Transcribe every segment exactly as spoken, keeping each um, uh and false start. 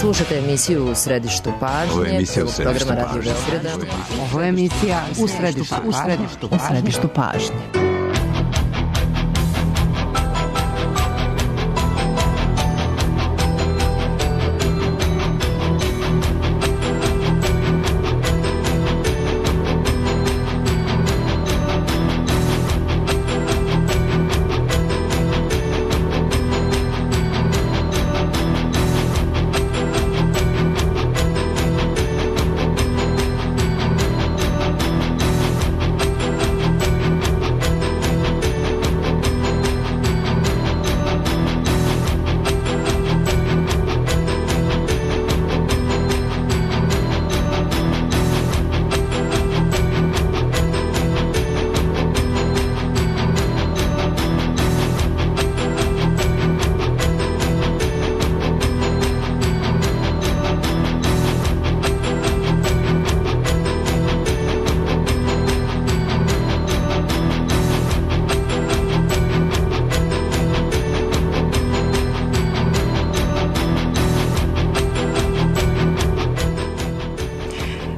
Slušate emisiju U središtu pažnje. Ovo je emisija U središtu programa pažnje. Radio Beograda. Ovo je emisija U središtu, u središtu, u središtu pažnje.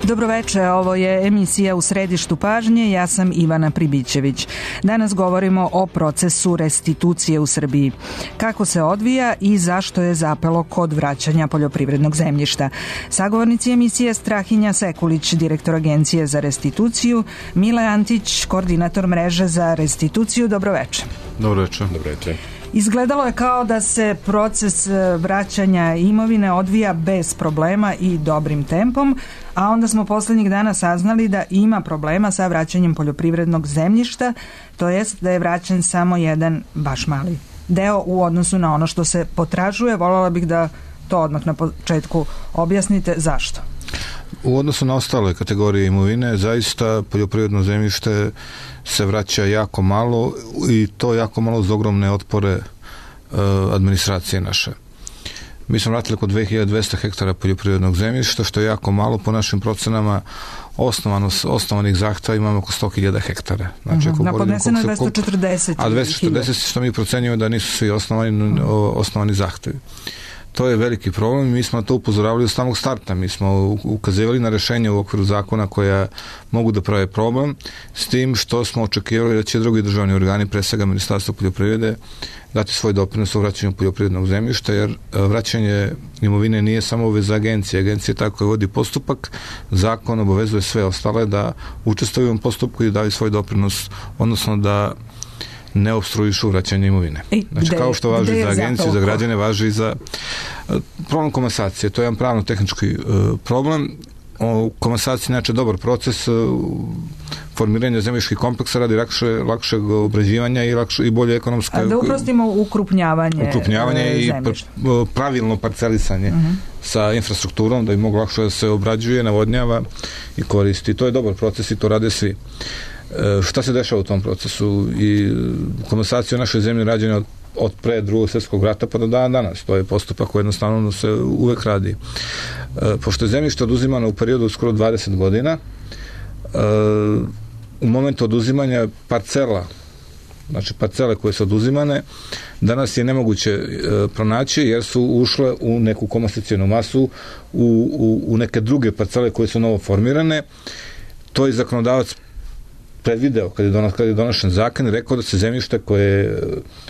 Dobroveče, ovo je emisija U središtu pažnje, ja sam Ivana Pribićević. Danas govorimo o procesu restitucije u Srbiji. Kako se odvija i zašto je zapelo kod vraćanja poljoprivrednog zemljišta. Sagovornici emisije Strahinja Sekulić, direktor Agencije za restituciju, Mile Antić, koordinator mreže za restituciju. Dobroveče. Dobroveče. Dobroveče. Izgledalo je kao da se proces vraćanja imovine odvija bez problema i dobrim tempom, a onda smo poslednjih dana saznali da ima problema sa vraćanjem poljoprivrednog zemljišta, to jest da je vraćen samo jedan baš mali deo u odnosu na ono što se potražuje. Voljela bih da to odmah na početku objasnite zašto. U odnosu na ostale kategorije imovine, zaista poljoprivredno zemljište se vraća jako malo i to jako malo uz ogromne otpore e, administracije naše. Mi smo vratili oko dve hiljade dvesta hektara poljoprivrednog zemljišta, što je jako malo. Po našim procenama osnovano, osnovanih zahteva imamo oko sto hiljada hektara. Znači, uh-huh. Na podneseno je dvesta četrdeset. A dvesta četrdeset što mi procenjujemo da nisu svi osnovani, uh-huh. osnovani zahtevi. To je veliki problem i mi smo na to upozoravali od samog starta. Mi smo ukazivali na rešenje u okviru zakona koja mogu da prave problem, s tim što smo očekivali da će drugi državni organi, pre svega Ministarstvo poljoprivrede, dati svoj doprinos u vraćanju poljoprivrednog zemljišta, jer vraćanje imovine nije samo obaveza agencije. Agencija je tako koja vodi postupak, zakon obavezuje sve ostale da učestvuju u ovom postupku i daju svoj doprinos, odnosno da ne opstruišu vraćanje imovine. Znači, kao što važi za agenciju, za građane, važi i za problem komasacije. To je jedan pravno-tehnički uh, problem. O komasaciji, znači, dobar proces uh, formiranja zemljiških kompleksa radi lakše, lakšeg obrađivanja i, lakše, i bolje ekonomske... A da uprostimo ukrupnjavanje, ukrupnjavanje uh, i pr- pravilno parcelisanje uh-huh. sa infrastrukturom, da bi moglo lakše da se obrađuje, navodnjava i koristi. To je dobar proces i to rade svi. E, šta se dešava u tom procesu? I komasacija u našoj zemlji rađena od, od pre drugog svjetskog rata pa do dana danas. To je postupak koji jednostavno se uvek radi. E, pošto je zemljište oduzimano u periodu skoro dvadeset godina, e, u momentu oduzimanja parcela, znači parcele koje su oduzimane, danas je nemoguće e, pronaći jer su ušle u neku komasacijonu masu, u, u, u neke druge parcele koje su novo formirane. To je zakonodavac predvideo kad je, donos, kad je donošen zakon i rekao da se zemljište koje je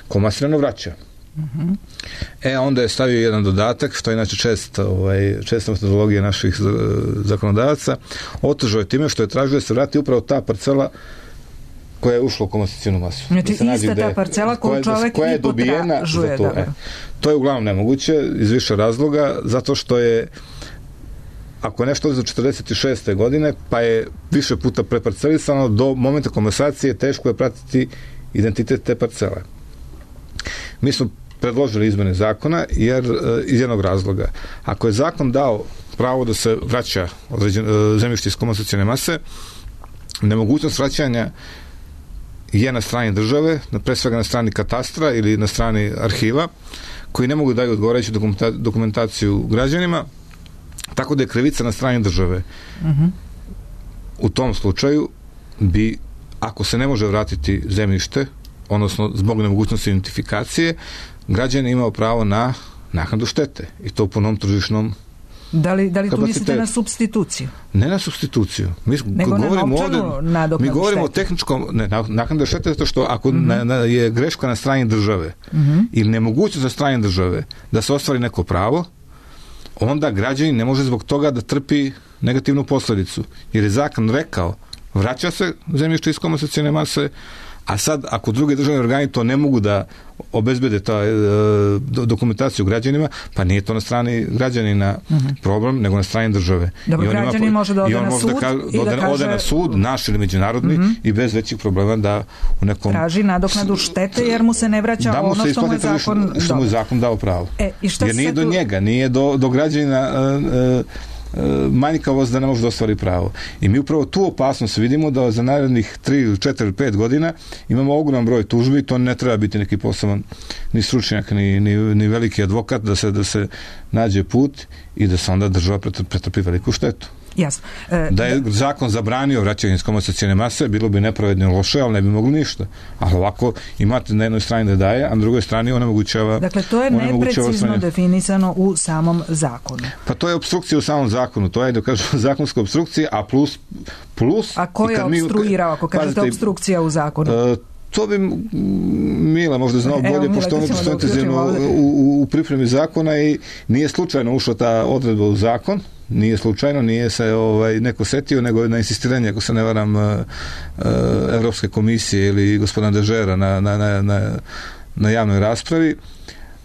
komasirano vraća. Uh-huh. E, onda je stavio jedan dodatak, što je inače čest, ovaj, česta metodologija naših zakonodavaca, otežao je time što je tražio da se vrati upravo ta parcela koja je ušla u komasacijonu masu. Znači, da ista ta parcela koju čovek koja je dobijena za to. E, to je uglavnom nemoguće iz više razloga, zato što je ako je nešto za četrdeset šeste godine, pa je više puta preparcelisano, do momenta komasacije teško je pratiti identitet te parcele. Mi smo predložili izmene zakona jer iz jednog razloga. Ako je zakon dao pravo da se vraća zemljište iz komasacijone mase, nemogućnost vraćanja je na strani države, pre svega na strani katastra ili na strani arhiva, koji ne mogu da daju odgovarajuću dokumentaciju građanima, tako da je krivica na strani države. Uh-huh. U tom slučaju bi, ako se ne može vratiti zemljište, odnosno zbog nemogućnosti identifikacije, građan imao pravo na naknadu štete i to po novom tržišnom. Da li, da li tu kapacitetu. mislite na supstituciju? Ne na supstituciju. Mi Nego govorimo na novčanu ovdje, nadoknadu mi govorimo štete. o tehničkom, ne, naknada štete zato što ako mm-hmm. na, na, je greška na strani države mm-hmm. ili nemogućnost za strane države da se ostvari neko pravo, onda građanin ne može zbog toga da trpi negativnu posljedicu. Jer je zakon rekao, vraća se zemljište iz komasacione mase, a sad ako drugi državni organi to ne mogu da obezbede ta e, dokumentaciju građanima, pa nije to na strani građanina uh-huh. problem, nego na strani države. Dobro, I on građanin ima, može da ode na može sud da, ka, i da ode, kaže... ode na sud, naš ili međunarodni, uh-huh. i bez većih problema da u nekom... Traži nadoknadu štete jer mu se ne vraća da mu ono se što mu je tržišno, zakon... što mu je zakon dao pravo. E, i šta jer nije do tu... njega, nije do, do građanina... Uh, uh, manjkavost da ne može da ostvari pravo. I mi upravo tu opasnost vidimo da za narednih tri, četiri, pet godina imamo ogroman broj tužbi, to ne treba biti neki poseban ni stručnjak, ni, ni, ni veliki advokat da se, da se nađe put i da se onda država pretrpi veliku štetu. Jasno. E, da je zakon zabranio vraćanje iz komasacione mase, bilo bi nepravedno loše, ali ne bi mogli ništa. Ali ovako imate na jednoj strani da daje, a na drugoj strani onemogućava. Dakle, to je neprecizno definisano u samom zakonu. Pa to je opstrukcija u samom zakonu, to je da kažu zakonska opstrukcija, a plus... plus a ko je opstruirao, ako kažete opstrukcija u zakonu? Uh, To bi Mila možda znao bolje, Evo, pošto on je intenzivno u, u pripremi zakona i nije slučajno ušla ta odredba u zakon, nije slučajno, nije se ovaj, neko setio, nego na insistiranje, ako se ne varam, uh, uh, Evropske komisije ili gospodina Dežera na, na, na, na, na javnoj raspravi,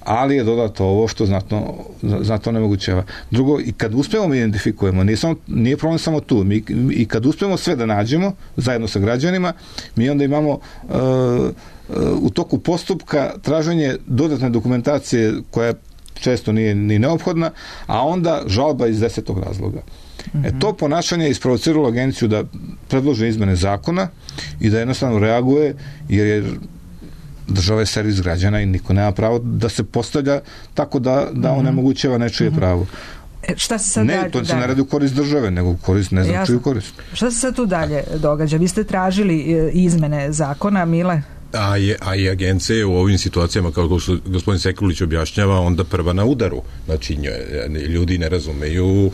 ali je dodato ovo što znatno, znatno nemogućeva. Drugo, i kad uspemo mi identifikujemo, nije, samo, nije problem samo tu, mi, i kad uspemo sve da nađemo, zajedno sa građanima, mi onda imamo uh, uh, u toku postupka traženje dodatne dokumentacije koja često nije ni neophodna, a onda žalba iz desetog razloga. Mm-hmm. E, to ponašanje je isprovociralo agenciju da predlože izmene zakona i da jednostavno reaguje, jer je država je servis građana i niko nema pravo da se postavlja tako da, da mm-hmm. onemogućava nečije mm-hmm. pravo. E, šta se sad ne, dalje, to se ne radi u korist države, nego u korist, ne znam čiju korist. Šta se sad tu dalje događa? Vi ste tražili izmene zakona, Mile? A, je, a i agencije u ovim situacijama, kao što gospodin Sekulić objašnjava, onda prva na udaru. Znači, ljudi ne razumeju e,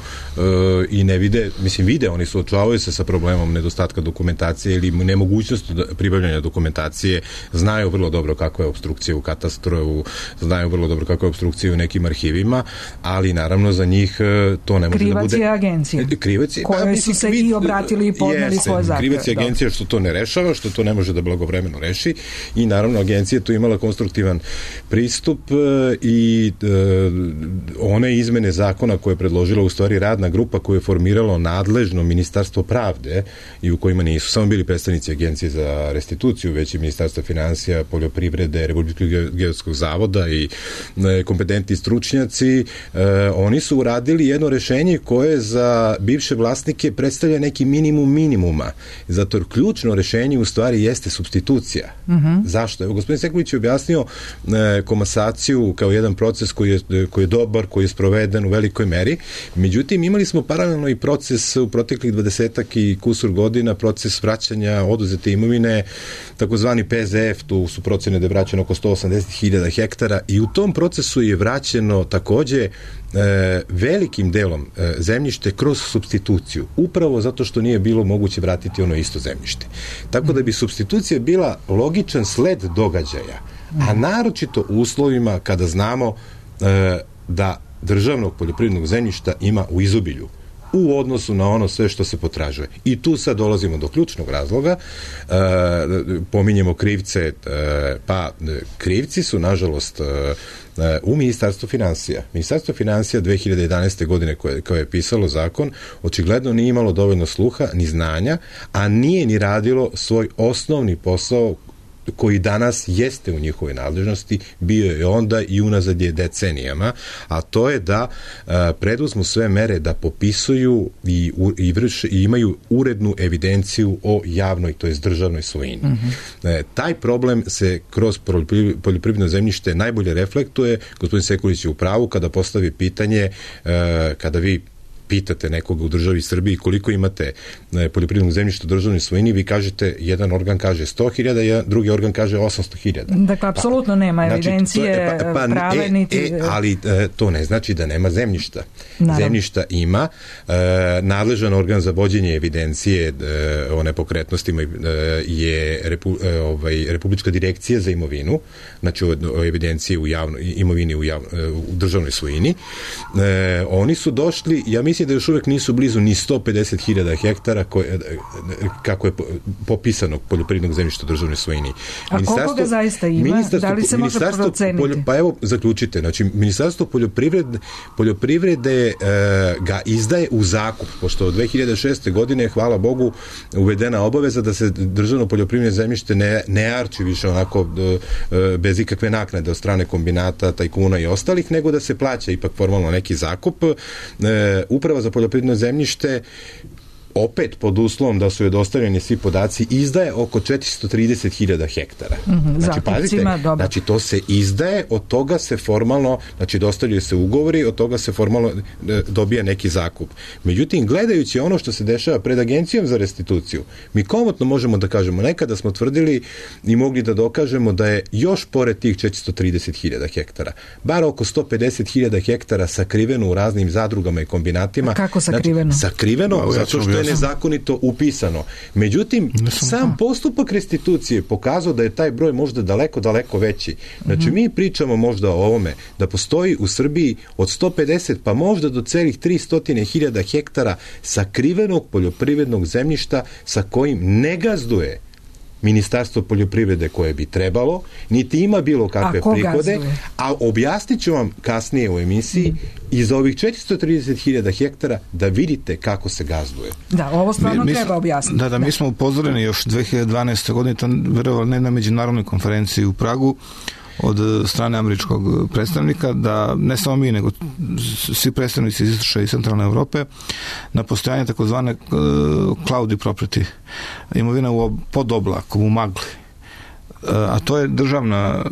i ne vide, mislim, vide, oni suočavaju se sa problemom nedostatka dokumentacije ili nemogućnost pribavljanja dokumentacije, znaju vrlo dobro kako je opstrukcija u katastru, znaju vrlo dobro kako je opstrukcija u nekim arhivima, ali naravno za njih to ne može krivac da bude... Krivac je agencija. Krivac je, koje pa, su se i obratili i podneli jeste, svoje zahtjeve. Krivac je agencija što to ne rešava, što to ne može da blagovremeno reši. I naravno agencija tu imala konstruktivan pristup i e, one izmene zakona koje je predložila u stvari radna grupa koju je formiralo nadležno Ministarstvo pravde i u kojima nisu samo bili predstavnici agencije za restituciju, već i Ministarstva finansija, poljoprivrede, Republičkog geodetskog zavoda i e, kompetentni stručnjaci, e, oni su uradili jedno rešenje koje za bivše vlasnike predstavlja neki minimum minimuma. Zato jer ključno rešenje u stvari jeste supstitucija. Mhm. Zašto? Evo, gospodin Sekulić je objasnio e, komasaciju kao jedan proces koji je, koji je dobar, koji je sproveden u velikoj meri. Međutim, imali smo paralelno i proces u proteklih dvadesetak i kusur godina, proces vraćanja oduzete imovine, takozvani P Z F, tu su procene da je vraćeno oko sto osamdeset hiljada hektara i u tom procesu je vraćeno takođe e, velikim delom e, zemljište kroz supstituciju, upravo zato što nije bilo moguće vratiti ono isto zemljište. Tako da bi supstitucija bila logičan sled događaja, a naročito u uslovima kada znamo e, da državnog poljoprivrednog zemljišta ima u izobilju u odnosu na ono sve što se potražuje. I tu sad dolazimo do ključnog razloga, e, pominjemo krivce, e, pa krivci su nažalost e, u Ministarstvu finansija. Ministarstvo finansija dve hiljade jedanaeste. godine koje, koje je pisalo zakon, očigledno nije imalo dovoljno sluha ni znanja, a nije ni radilo svoj osnovni posao koji danas jeste u njihovoj nadležnosti, bio je onda i unazad je decenijama, a to je da a, preduzmu sve mere da popisuju i, u, i, vrš, i imaju urednu evidenciju o javnoj, to jest državnoj svojini. Mm-hmm. E, taj problem se kroz poljoprivredno zemljište najbolje reflektuje, gospodin Sekulić je u pravu kada postavi pitanje, e, kada vi pitate nekoga u državi Srbiji koliko imate poljoprivrednog zemljišta u državnoj svojini, vi kažete, jedan organ kaže sto hiljada, drugi organ kaže osamsto hiljada. Dakle, apsolutno nema evidencije, znači, to, pa, pa, prave e, niti... E, ali e, to ne znači da nema zemljišta. Naravno. Zemljišta ima, e, nadležan organ za vođenje evidencije e, o nepokretnostima e, je Repu, e, ovaj, Republička direkcija za imovinu, znači o, o evidenciji u javno, imovini u, javno, u državnoj svojini. E, oni su došli, ja mislim da još uvek nisu blizu ni sto pedeset hiljada hektara koje, kako je popisanog poljoprivrednog zemljišta u državnoj svojini. A koliko ga zaista ima? Da li se može proceniti? Poljo, pa evo, zaključite. Znači, Ministarstvo poljoprivrede, poljoprivrede e, ga izdaje u zakup, pošto od dve hiljade šeste. godine, hvala Bogu, uvedena obaveza da se državno poljoprivredno zemljište ne, ne arči više onako e, bez ikakve naknade od strane kombinata, tajkuna i ostalih, nego da se plaća ipak formalno neki zakup. E, Uprava za poljoprivredno zemljište opet pod uslovom da su joj dostavljeni svi podaci, izdaje oko četiristo trideset hiljada hektara. Mm-hmm, znači, pazite, znači to se izdaje, od toga se formalno, znači dostavljaju se ugovori, od toga se formalno e, dobija neki zakup. Međutim, gledajući ono što se dešava pred Agencijom za restituciju, mi komotno možemo da kažemo, nekada smo tvrdili i mogli da dokažemo da je još pored tih četiristo trideset hiljada hektara, bar oko sto pedeset hiljada hektara sakriveno u raznim zadrugama i kombinatima. A kako sakriveno? Znači, sakriveno, no, zato što je nezakonito upisano. Međutim, sam postupak restitucije pokazao da je taj broj možda daleko, daleko veći. Znači, mm-hmm. mi pričamo možda o ovome, da postoji u Srbiji od sto pedeset pa možda do celih tristo hiljada hektara sakrivenog poljoprivrednog zemljišta sa kojim ne gazduje Ministarstvo poljoprivrede koje bi trebalo, niti ima bilo kakve prihode, gazduje? A objasnit ću vam kasnije u emisiji mm. iz ovih četiristo trideset hiljada hektara da vidite kako se gazduje. Da, ovo stvarno mi, treba objasniti. Da, da, da, mi smo upozoreni još dve hiljade dvanaeste. godine, to verovali ne na međunarodnoj konferenciji u Pragu, od strane američkog predstavnika, da ne samo mi, nego svi predstavnici iz istočne i centralne Evrope, na postojanje takozvane uh, cloudy property, imovina u, pod oblakom, u magli. Uh, a to je državna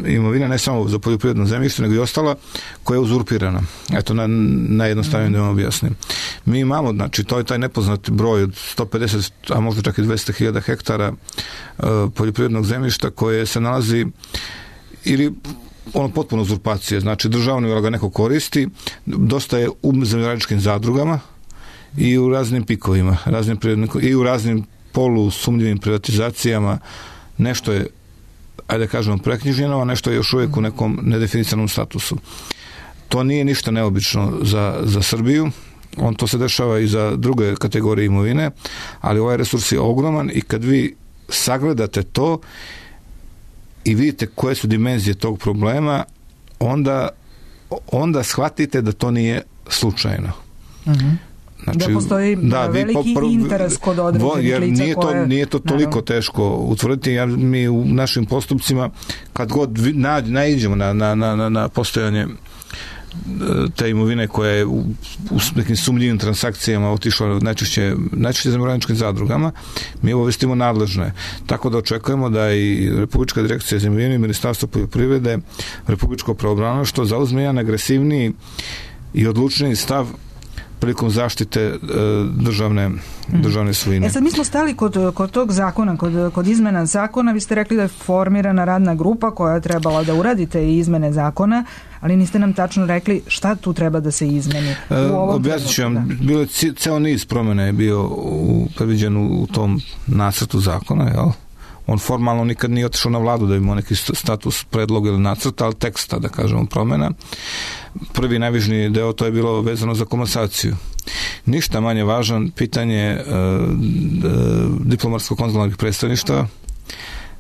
imovina, ne samo za poljoprivredno zemljište, nego i ostala, koja je uzurpirana. Eto, na, najjednostavnije da vam objasnim. Mi imamo, znači, to je taj nepoznati broj od sto pedeset, a možda čak i dvesta hiljada hektara uh, poljoprivrednog zemljišta koje se nalazi ili ono potpuno uzurpacije, znači državno ga neko koristi, dosta je u zemljoradničkim zadrugama i u raznim pikovima, raznim i u raznim polusumnjivim privatizacijama, nešto je, ajde da kažemo, preknjiženo, a nešto je još uvijek u nekom nedefinisanom statusu. To nije ništa neobično za, za Srbiju, on to se dešava i za druge kategorije imovine, ali ovaj resurs je ogroman i kad vi sagledate to i vidite koje su dimenzije tog problema, onda, onda shvatite da to nije slučajno. Mm-hmm. Znači, da postoji da, veliki popr... interes kod određenih lica nije to, koje... nije to toliko naravno teško utvrditi. Ja, mi u našim postupcima, kad god na, naiđemo na, na, na, na postojanje te imovine koja je u, u nekim sumnjivim transakcijama otišla najčešće, najčešće zemljoradničkim zadrugama, mi obavestimo nadležne. Tako da očekujemo da i Republička direkcija za imovinu i Ministarstvo poljoprivrede, Republičko pravobranilaštvo zauzme jedan agresivniji i odlučniji stav prilikom zaštite e, državne, državne svojine. E sad mi smo stali kod, kod tog zakona, kod, kod izmena zakona, vi ste rekli da je formirana radna grupa koja je trebala da uradite i izmene zakona, ali niste nam tačno rekli šta tu treba da se izmeni. E, objasnit ću vam, bilo je ceo niz promjena je bio u, predviđen u tom nacrtu zakona, jel? On formalno nikad nije otišao na vladu da bi imao neki status predloga ili nacrta, ali teksta, da kažemo, promjena. Prvi najvažniji deo to je bilo vezano za komasaciju. Ništa manje važan pitanje e, diplomatsko-konzularnih predstavništva,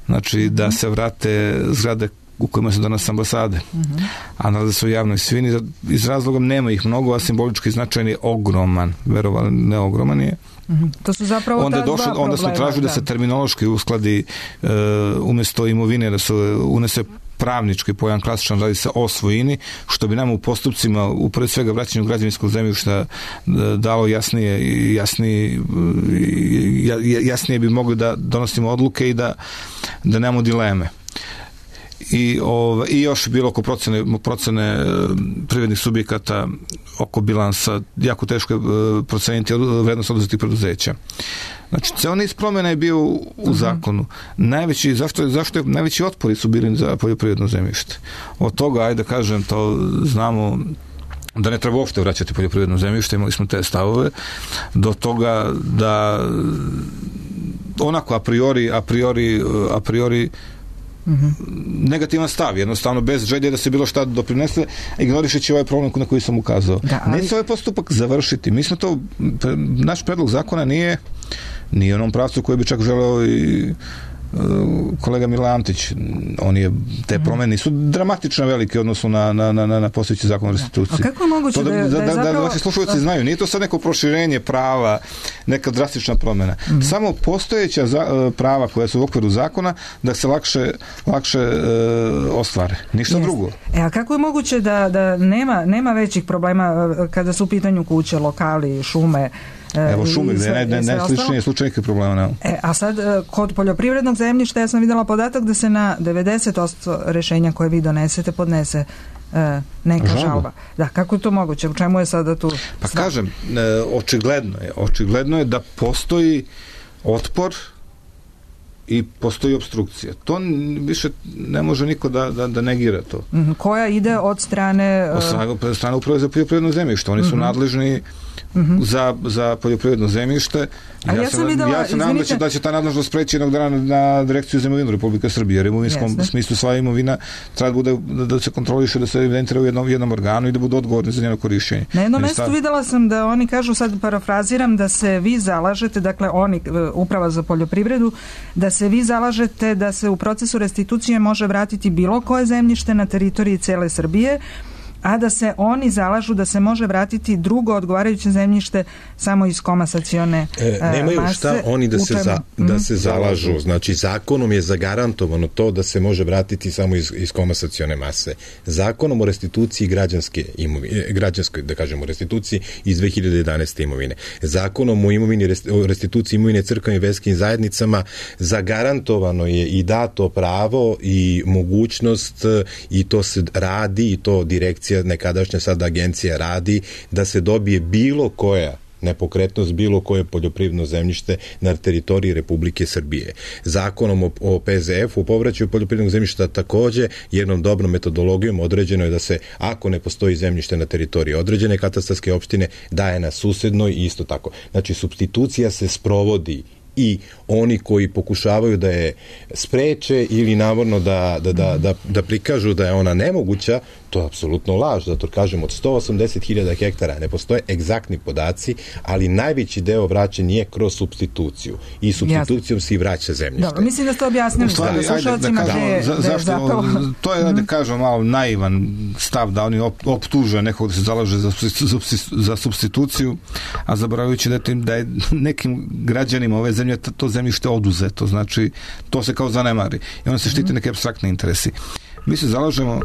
znači da se vrate zgrade u kojima su danas ambasade, uh-huh. a nalaze se u javnoj svini, iz razloga nema ih mnogo, a simbolički značajan je ogroman, verovali ne ogroman je. Uh-huh. To su zapravo onda ta došlo, dva onda smo tražili da. da se terminološki uskladi uh, umjesto imovine da se unese pravnički pojam klasičan, radi se o svojini, što bi nam u postupcima u pre svega vraćanju građevinskog zemljišta dalo jasnije, jasnije, jasnije bi mogli da donosimo odluke i da, da nemamo dileme. i, ove, i još bilo oko procene, procene privrednih subjekata, oko bilansa, jako teško je proceniti vrednost oduzetih preduzeća. Znači, ceo niz promjena je bio u, u zakonu. Najveći, zašto, je, zašto je, najveći otpori su bili za poljoprivredno zemljište. Od toga, ajde da kažem, to znamo da ne treba uopšte vraćati poljoprivredno zemljište, imali smo te stavove, do toga da onako a priori, a priori, a priori Mm-hmm. negativan stav, jednostavno bez želje da se bilo šta doprinese, ignorišeći ovaj problem na koji sam ukazao. Da, ali... Neće ovaj postupak završiti. Mi smo to, naš predlog zakona nije nije onom pravcu koji bi čak želeo i kolega Mila Antić. On je, te promene nisu dramatično velike odnosno na, na, na, na postojeći zakon o restituciji. A kako je moguće da, da, je, da, da je zapravo... Da, da vaši slušalci znaju, nije to sad neko proširenje prava, neka drastična promjena. Mm-hmm. Samo postojeća za, prava koja su u okviru zakona da se lakše, lakše e, ostvare. Ništa Jest. drugo. E, a kako je moguće da, da nema, nema većih problema kada su u pitanju kuće, lokali, šume? Evo šume, gdje je naj, najsličnije slučajnike problema. Ne? E, a sad, kod poljoprivrednog zemljišta ja sam vidjela podatak da se na devedeset posto rješenja koje vi donesete podnese e, neka žalba. žalba. Da, kako je to moguće? U čemu je sada tu? Pa stav? kažem, e, očigledno je, očigledno je da postoji otpor i postoji obstrukcija. To više ne može niko da, da, da negira to. Mm-hmm. Koja ide od strane... Od strane, od strane uprave za poljoprivredno zemljište. Oni su mm-hmm. nadležni Mm-hmm. za, za poljoprivredno zemljište. Ja, ja sam videla, ja se nadam da će, da će ta nadležnost preći jednog dana na, na direkciju za imovinu Republike Srbije, jer u imovinskom Jasne. smislu sva imovina treba bude, da, da se kontroliše, da se evidentira u jednom, jednom organu i da budu odgovorni za njeno korišćenje. Na jednom mjestu stav... videla sam da oni kažu, sad parafraziram, da se vi zalažete, dakle oni, uprava za poljoprivredu, da se vi zalažete da se u procesu restitucije može vratiti bilo koje zemljište na teritoriji cijele Srbije, a da se oni zalažu da se može vratiti drugo odgovarajuće zemljište samo iz komasacione e, nemaju mase. Šta oni da se, za, da se zalažu. Znači, zakonom je zagarantovano to da se može vratiti samo iz, iz komasacione mase. Zakonom o restituciji građanske imovine, građanskoj, da kažemo, restituciji iz dve hiljade jedanaeste. imovine. Zakonom o imovini, o restituciji imovine crkvenim i verskim zajednicama zagarantovano je i dato pravo i mogućnost i to se radi i to direkcija nekadašnja sada agencija radi da se dobije bilo koja nepokretnost, bilo koje poljoprivredno zemljište na teritoriji Republike Srbije. Zakonom o, o P Z F-u, o povraćaju poljoprivrednog zemljišta takođe jednom dobrom metodologijom određeno je da se, ako ne postoji zemljište na teritoriji određene katastarske opštine, daje na susednoj i isto tako. Znači, supstitucija se sprovodi i oni koji pokušavaju da je spreče ili navodno da, da, da, da, da prikažu da je ona nemoguća, to je apsolutno laž, zato kažem od sto osamdeset hiljada hektara ne postoje egzaktni podaci, ali najveći deo vraćen je kroz supstituciju i supstitucijom se i vraća zemljište. Dobro, mislim da ste objasnili stvari, slušalcima da, da, za, zašto, zapravo... to je, da kažem, malo naivan stav da oni op, optuže nekog da se zalaže za, za supstituciju, a zaboravljajući da, da je nekim građanima ove zemlje to zemljište oduzeto, znači to se kao zanemari i onda se štite neke apstraktne interesi. Mi se zalažemo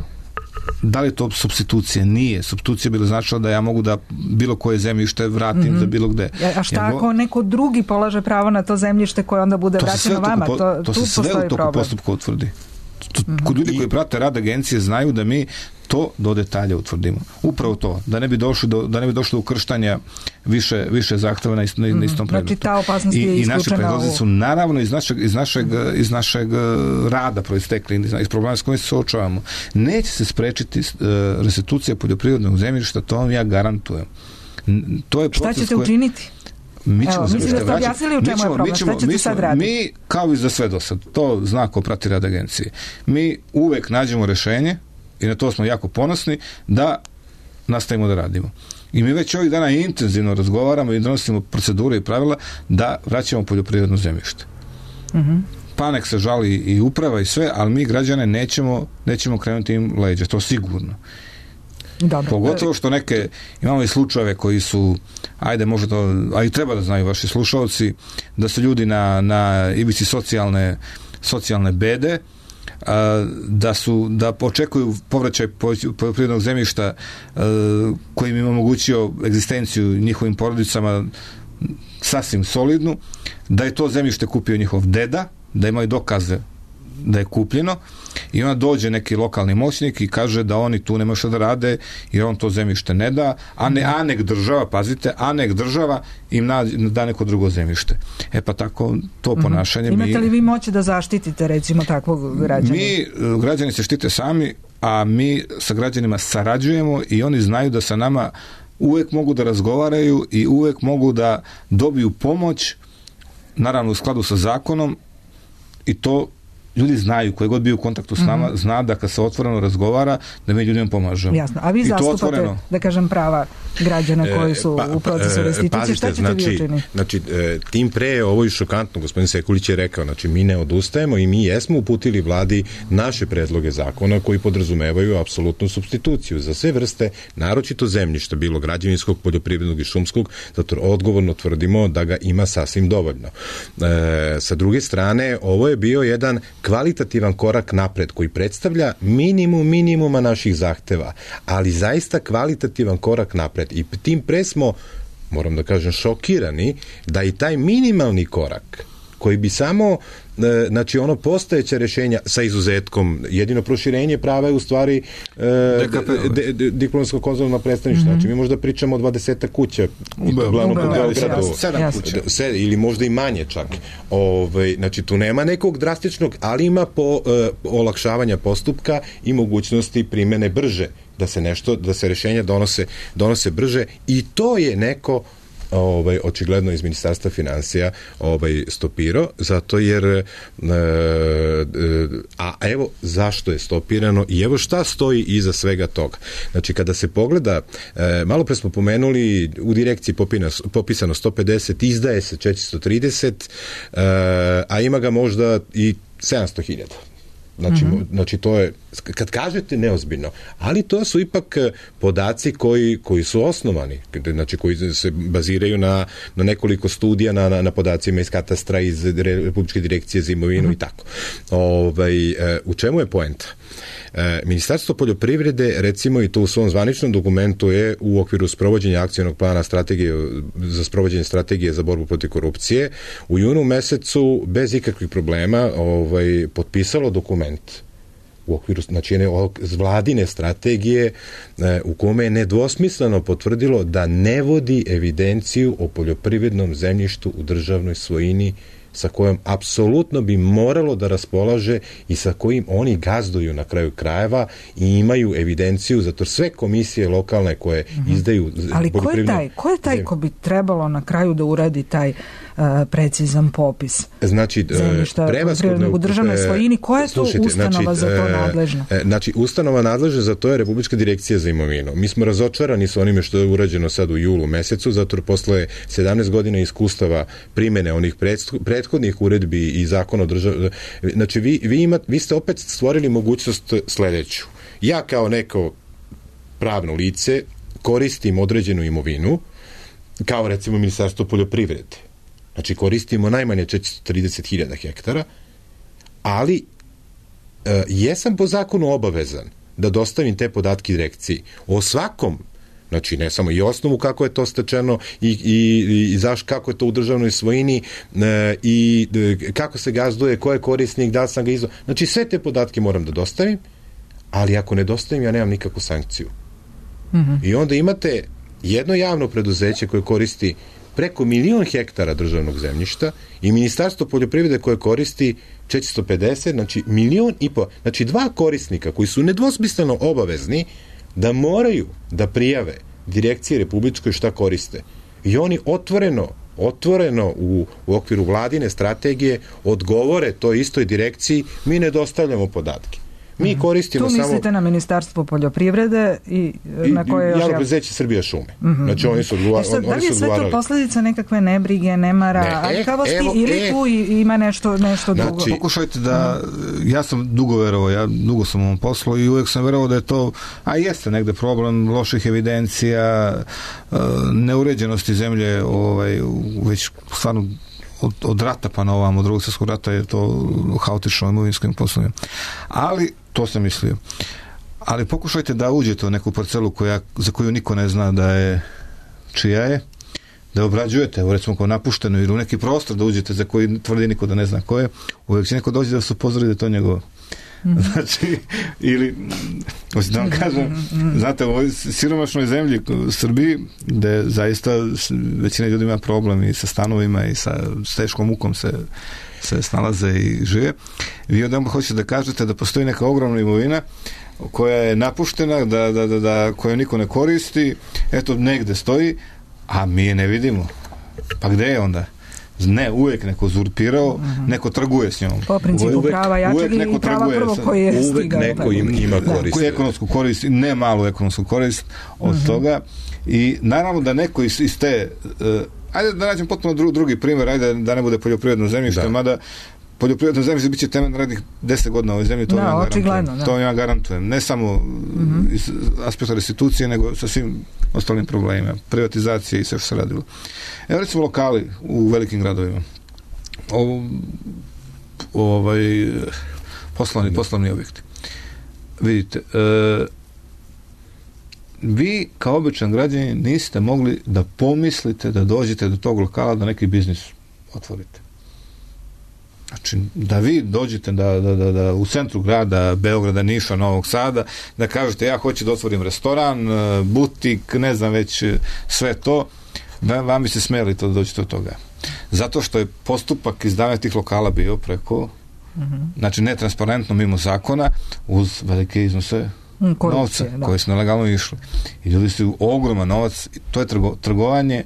da li to supstitucija? Nije. Supstitucija bila značila da ja mogu da bilo koje zemljište vratim mm-hmm. za bilo gde. A šta ako go... neko drugi polaže pravo na to zemljište koje onda bude vraćeno vama? Po, to, to se sve u toku postupka utvrdi. Mm-hmm. Kod ljudi koji prate rad agencije znaju da mi to do detalja utvrdimo. Upravo to, da ne bi došlo do, da ne bi došlo do ukrštanja više, više zahteva na, na, na istom predmetu. Znači, ta opasnost je I, i naše predlozi u... su naravno iz našeg, iz našeg, iz našeg rada proistekli, iz, iz problema s kojim se suočavamo. Neće se sprečiti uh, restitucija poljoprivrednog zemljišta, to vam ja garantujem. To je Šta ćete koje... učiniti? Mi ćemo Evo, mislim da ste objasnili u čemu je problem. Šta ćete sad raditi? Mi, kao i za sve do sad, to zna ko prati rad agencije, mi uvek nađemo rešenje i na to smo jako ponosni da nastavimo da radimo. I mi već ovih dana intenzivno razgovaramo i donosimo procedure i pravila da vraćamo poljoprivredno zemljište. Mm-hmm. Pa nek se žali i uprava i sve, ali mi građane nećemo, nećemo krenuti im leđa, to sigurno. Dobro. Pogotovo što neke, imamo i slučajeve koji su, ajde možda to, a i treba da znaju vaši slušalci, da su ljudi na, na ivici socijalne, socijalne bede, a, da su, da očekuju povraćaj poljoprivrednog zemljišta a, koji im je omogućio egzistenciju njihovim porodicama sasvim solidnu, da je to zemljište kupio njihov deda, da imaju dokaze da je kupljeno i onda dođe neki lokalni moćnik i kaže da oni tu nema šta da rade jer on to zemljište ne da, a ne a nek država, pazite, a nek država im na, da neko drugo zemljište. E pa tako to ponašanje... Mm-hmm. Imate li vi moći da zaštitite recimo takvog građana? Mi, građani se štite sami, a mi sa građanima sarađujemo i oni znaju da sa nama uvek mogu da razgovaraju i uvek mogu da dobiju pomoć, naravno u skladu sa zakonom, i to ljudi znaju, koji god bio u kontaktu s nama, mm-hmm. zna da kad se otvoreno razgovara, da mi ljudima pomažemo. Jasno. A vi zastupate, da kažem, prava građana koji su e, pa, u procesu restitucije. Pazite, šta ćete znači, vi učiniti? Znači, tim pre je ovo i šokantno, gospodin Sekulić je rekao, znači mi ne odustajemo i mi jesmo uputili vladi naše predloge zakona koji podrazumevaju apsolutnu supstituciju za sve vrste, naročito zemljišta, bilo građevinskog, poljoprivrednog i šumskog, zato odgovorno tvrdimo da ga ima sasvim dovoljno. E, sa druge strane, ovo je bio jedan kvalitativan korak napred koji predstavlja minimum minimuma naših zahteva, ali zaista kvalitativan korak napred. I tim pre smo, moram da kažem, šokirani da i taj minimalni korak koji bi samo, znači ono postojeće rješenja sa izuzetkom, jedino proširenje prava je u stvari e, diplomsko konzularno predstavništvo. Mm-hmm. Znači mi možda pričamo o dvadeset kuća u glavnom Beogradu, ili možda i manje čak. Ove, znači tu nema nekog drastičnog, ali ima po, e, olakšavanja postupka i mogućnosti primene brže, da se nešto, da se rješenja donose, donose brže, i to je neko ovaj očigledno iz Ministarstva financija ovaj stopirao, zato jer e, e, a evo zašto je stopirano i evo šta stoji iza svega toga. Znači kada se pogleda, e, malo pre smo pomenuli u direkciji popina, popisano sto pedeset, izdaje se četiristo trideset, e, a ima ga možda i sedamsto hiljada. Znači, mm-hmm. znači to je, kad kažete neozbiljno, ali to su ipak podaci koji, koji su osnovani, znači koji se baziraju na, na nekoliko studija, na, na, na podacima iz katastra, iz Republičke direkcije za imovinu mm-hmm. i tako. Ovaj, u čemu je poenta? Ministarstvo poljoprivrede, recimo, i to u svom zvaničnom dokumentu je u okviru sprovođenja akcionog plana strategije za sprovođenje strategije za borbu protiv korupcije u junu mesecu bez ikakvih problema ovaj, potpisalo dokument u okviru, znači jedne vladine strategije u kome je nedvosmisleno potvrdilo da ne vodi evidenciju o poljoprivrednom zemljištu u državnoj svojini sa kojom apsolutno bi moralo da raspolaže i sa kojim oni gazduju na kraju krajeva i imaju evidenciju, zato sve komisije lokalne koje mm-hmm. izdaju... Ali ko je taj? Ko je taj ko bi trebalo na kraju da uradi taj uh, precizan popis znači, zemljišta poljoprivrednog u državnoj svojini? Koja je to slušajte, ustanova znači, za to nadležna? Znači, ustanova nadležna za to je Republička direkcija za imovinu. Mi smo razočarani sa onime što je urađeno sad u julu mesecu, zato jer posle sedamnaest godina iskustava primene onih predstavnika prethodnih uredbi i zakona o državi, znači vi, vi, ima, vi ste opet stvorili mogućnost sledeću. Ja kao neko pravno lice koristim određenu imovinu, kao recimo Ministarstvo poljoprivrede. Znači koristimo najmanje četiristo trideset hiljada hektara, ali e, jesam po zakonu obavezan da dostavim te podatke direkciji o svakom, znači ne samo i osnovu kako je to stečeno i, i, i zaš, kako je to u državnoj svojini e, i e, kako se gazduje, ko je korisnik, da li sam ga izdao. Znači sve te podatke moram da dostavim, ali ako ne dostavim ja nemam nikakvu sankciju. Mm-hmm. I onda imate jedno javno preduzeće koje koristi preko milion hektara državnog zemljišta i Ministarstvo poljoprivrede koje koristi četiristo pedeset, znači milion i po, znači dva korisnika koji su nedvosmisleno obavezni da moraju da prijave direkcije republičkoj šta koriste. I oni otvoreno, otvoreno u, u okviru vladine strategije odgovore toj istoj direkciji, mi ne dostavljamo podatke. Mi koristimo tu samo... Tu mislite na Ministarstvo poljoprivrede i, i na koje još... Javno preduzeće Srbija šume. Mm-hmm. Znači oni su odgovarali. Sad, da li je sve to posljedica nekakve nebrige, nemara, ne, aljkavosti e, ili e, tu ima nešto, nešto znači, drugo? Pokušajte da... Ja sam dugo verovao, ja dugo sam u ovom poslu i uvijek sam verovao da je to, a jeste negde problem loših evidencija, neuređenosti zemlje, ovaj, već stvarno od, od rata pa na ovam, od drugog svjetskog rata je to haotično imovinskim poslovima. Ali to sam mislio. Ali pokušajte da uđete u neku parcelu koja, za koju niko ne zna da je čija je, da obrađujete, evo recimo kao napušteno ili u neki prostor da uđete za koji tvrdi niko da ne zna ko je, uvijek će neko doći da vas upozori da je to njegovo. Mm-hmm. Znači, ili da vam kažem, znate, u ovoj siromašnoj zemlji u Srbiji, gde zaista većina ljudi ima problem i sa stanovima i sa teškom mukom se, se snalaze i žive, vi odmah hoćete da kažete da postoji neka ogromna imovina koja je napuštena, da, da, da, da, koju niko ne koristi, eto, negde stoji, a mi je ne vidimo. Pa gde je onda? Ne, uvijek neko uzurpirao, uh-huh. neko trguje s njom. Po principu uvijek, prava jačeg i prava prvo koji je stigao. Uvijek neko im, ima korist. Da, ekonomsku korist, ne malu ekonomsku korist od uh-huh. toga. I naravno da neko iz, iz te... Uh, ajde da nađem potpuno dru, drugi primjer, ajde da ne bude poljoprivredno zemljište, da. Mada poljoprivredno zemljište biće temelj narednih deset godina u ovoj zemlji, to da, ja garantujem. Da. To ja garantujem. Ne samo uh-huh. iz aspekta restitucije, nego sa svim ostalim problemima. Privatizacije i sve što se radilo. Evo recimo lokali u velikim gradovima. O, ovaj poslovni, poslovni objekti. Vidite, e, vi kao običan građanin niste mogli da pomislite da dođete do tog lokala da neki biznis otvorite. Znači, da vi dođete da, da, da, da u centru grada, Beograda, Niša, Novog Sada, da kažete ja hoću da otvorim restoran, butik, ne znam već sve to, vam bi se smeli to da dođete od toga. Zato što je postupak izdavanja tih lokala bio preko, uh-huh. znači netransparentno mimo zakona, uz velike iznose korupcije, novca, da. Koji su nelegalno išli. I ljudi su ogroman novac, to je trgo, trgovanje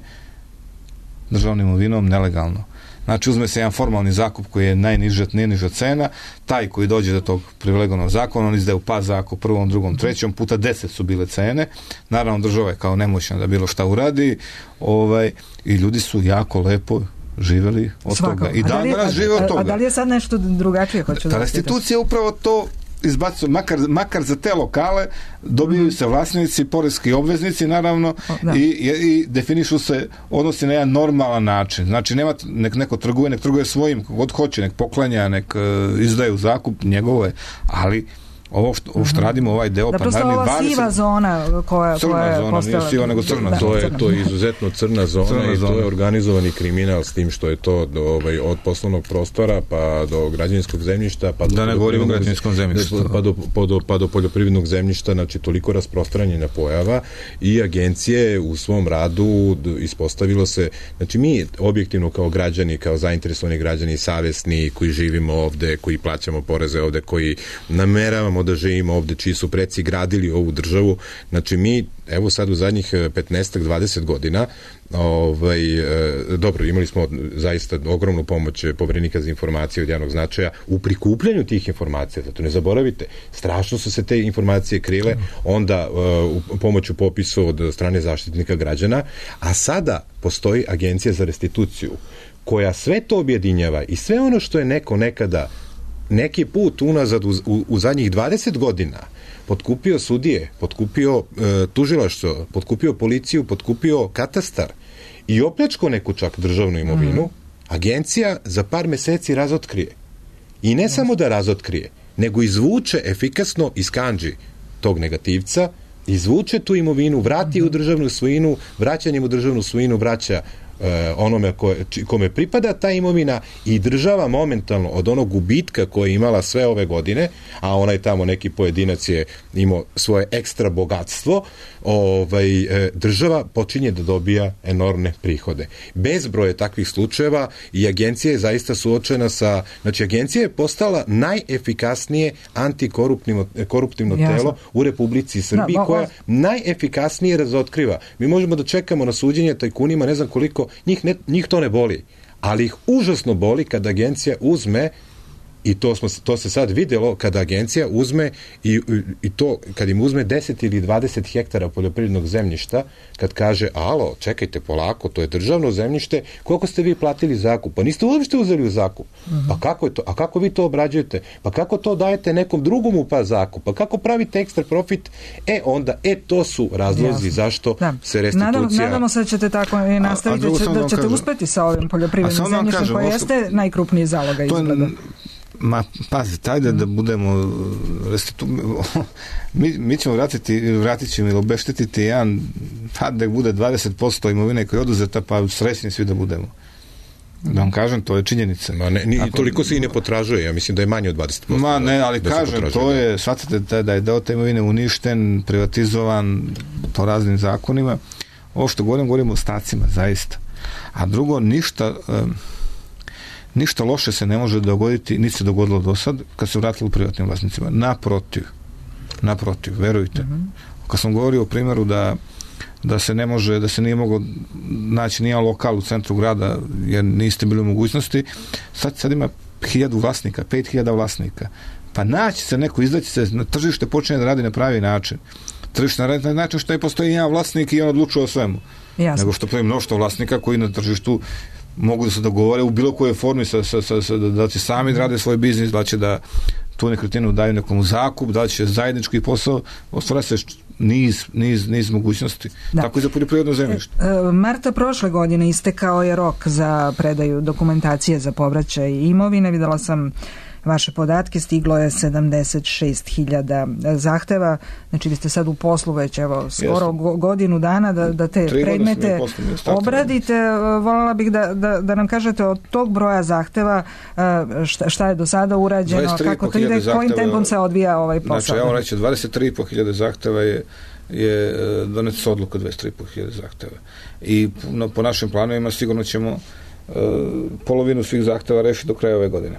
državnom imovinom nelegalno. Znači, uzme se jedan formalni zakup koji je najniža, najniža cena, taj koji dođe do tog privilegovanog zakona, on izdaje u pa zakup prvom, drugom, trećom, puta deset su bile cene. Naravno, država je kao nemoćna da bilo šta uradi, ovaj, i ljudi su jako lepo živjeli od Svako. Toga. I dan danas žive od toga. A da li je sad nešto drugačije? Hoću ta restitucija upravo to izbacuju, makar, makar za te lokale dobijaju se vlasnici, poreski obveznici naravno i, i, i definišu se odnosi na jedan normalan način. Znači nema, nek neko trguje, nek trguje svojim, god hoće, nek poklanja, nek uh, izdaje u zakup, njegovo je, ali ovo što, ovo što radimo, ovaj deo, da, pa naravno ova dvadeset siva zona koja, crna koja je zona, postala, nije siva nego crna da, zona. To je, to je izuzetno crna zona crna i to zona. Je organizovani kriminal s tim što je to do, ovaj, od poslovnog prostora pa do građevinskog zemljišta pa do, da ne govorimo o građevinskom zemljištu pa do, pa, do, pa do poljoprivrednog zemljišta, znači toliko rasprostranjena pojava i agencije u svom radu ispostavilo se, znači mi objektivno kao građani, kao zainteresovani građani, savesni koji živimo ovde, koji plaćamo poreze ovde, koji nameravamo da živimo ovde, čiji su preci gradili ovu državu, znači mi, evo sad u zadnjih petnaest do dvadeset godina, ovaj, e, dobro, imali smo zaista ogromnu pomoć Poverenika za informacije od javnog značaja u prikupljanju tih informacija, zato ne zaboravite, strašno su se te informacije krile, onda e, u pomoću popisu od strane zaštitnika građana, a sada postoji Agencija za restituciju, koja sve to objedinjava i sve ono što je neko nekada neki put unazad u, u, u zadnjih dvadeset godina potkupio sudije, potkupio e, tužilaštvo, potkupio policiju, potkupio katastar i opljačko neku čak državnu imovinu, mm. agencija za par meseci razotkrije. I ne mm. samo da razotkrije, nego izvuče efikasno iz kandži tog negativca, izvuče tu imovinu, vrati mm. u državnu svojinu, vraćanjem u državnu svojinu vraća onome koje, kome pripada ta imovina i država momentalno od onog gubitka koje je imala sve ove godine, a onaj tamo neki pojedinac je imao svoje ekstra bogatstvo, ovaj, država počinje da dobija enormne prihode. Bezbroj je takvih slučajeva i agencija je zaista suočena sa, znači agencija je postala najefikasnije antikoruptivno telo u Republici Srbiji, da, koja najefikasnije razotkriva. Mi možemo da čekamo na suđenje tajkunima, ne znam koliko, njih, ne, njih to ne boli, ali ih užasno boli kada agencija uzme, i to, smo, to se sad vidjelo, kada agencija uzme i, i to, kad im uzme deset ili dvadeset hektara poljoprivrednog zemljišta, kad kaže, alo, čekajte polako, to je državno zemljište, koliko ste vi platili zakup? Pa niste uopšte uzeli u zakup. Uh-huh. Pa kako je to? A kako vi to obrađujete? Pa kako to dajete nekom drugom u pa zakup? Pa kako pravite ekstra profit? E, onda, e, to su razlozi Jasno. Zašto da. Se restitucija... Nadamo, nadamo se da ćete tako i nastaviti, a, a da, će, da ćete kažem, uspeti sa ovim poljoprivrednim zemljištem, koje jeste najkrupniji zalogaj izgleda. Ma, pazite, ajde da budemo restitu... mi, mi ćemo vratiti, vratit ćemo ili obeštetiti jedan, pa da bude dvadeset posto imovine koja je oduzeta, pa srećni svi da budemo. Da vam kažem, to je činjenica. Ma ne, ni, Ako, toliko se i ne potražuje, ja mislim da je manje od dvadeset posto. Ma ne, ali da kažem, to je, shvatite da je deo te imovine uništen, privatizovan po raznim zakonima. Ovo što govorim, govorim o ostacima, zaista. A drugo, ništa... Um, ništa loše se ne može dogoditi, niti se dogodilo do sad, kad se vratilo privatnim vlasnicima. Naprotiv. Naprotiv, verujte. Mm-hmm. Kad sam govorio o primjeru da, da se ne može, da se nije moglo naći nijedan lokal u centru grada, jer niste bili u mogućnosti, sad, sad ima hiljadu vlasnika, pet hiljada vlasnika. Pa naći se neko, izdaći se na tržište, počne da radi na pravi način. Tržište na način što je postoji jedan vlasnik i on odlučuje o svemu. Jasno. Nego što postoji mnoštvo vlasnika koji na tržištu mogu da se dogovore u bilo kojoj formi sa, sa, sa, sa, da će sami da rade svoj biznis, da će da tu nekretninu daju nekom zakup, da će zajednički posao, ostvara se niz, niz, niz mogućnosti. Da. Tako i za poljoprivredno zemljište. E, marta prošle godine istekao je rok za predaju dokumentacije za povraćaj imovine. Videla sam vaše podatke, stiglo je sedamdeset šest hiljada zahteva, znači vi ste sad u poslu već evo skoro Jasne. godinu dana da, da te Tri predmete obradite. Voljela bih da, da, da nam kažete od tog broja zahteva šta, šta je do sada urađeno, kako to ide, kojim tempom se odvija ovaj posao. Znači, evo reći, dvadeset tri i po hiljade zahteva je je doneta odluka dvadeset tri i po hiljade zahteva. I no, po našim planovima sigurno ćemo Uh, polovinu svih zahteva rešiti do kraja ove godine.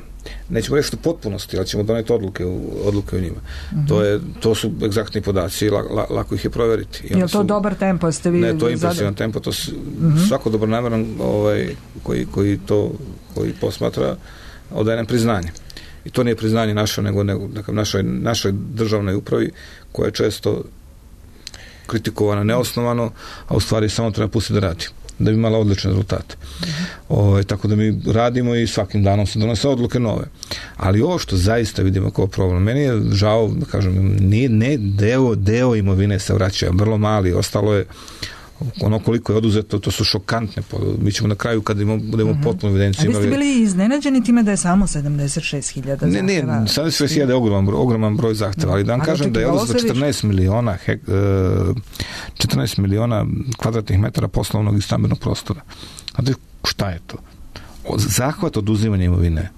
Nećemo rešiti u potpunosti, ali ćemo doneti odluke u, odluke u njima. Mm-hmm. To, je, to su egzaktni podaci i la, la, lako ih je proveriti. Je li to su, dobar tempo? Ste vi ne, to je impresivan tempo. To su, mm-hmm. Svako dobronameran ovaj, koji, koji to koji posmatra odaje nam priznanje. I to nije priznanje naše, nego, nego našoj, našoj državnoj upravi koja je često kritikovana neosnovano, a u stvari samo treba pustiti da radi, da bi imala odlične rezultate. Mm-hmm. O, tako da mi radimo i svakim danom se donose odluke nove. Ali ovo što zaista vidimo kao problem, meni je žao, da kažem, nije, ne deo, deo imovine se vraća, vrlo mali, ostalo je ono koliko je oduzeto, to su šokantne. Mi ćemo na kraju, kad imamo, budemo mm-hmm. potpuno evidenciju. A vi ste bili iznenađeni time da je samo sedamdeset šest hiljada zahteva? Ne, ne, sedamdeset šest hiljada je ogroman, ogroman broj zahteva, ali da vam kažem da je oduzeto četrnaest miliona hek, četrnaest miliona kvadratnih metara poslovnog i stambenog prostora. Znate šta je to? Zahvat oduzimanja imovine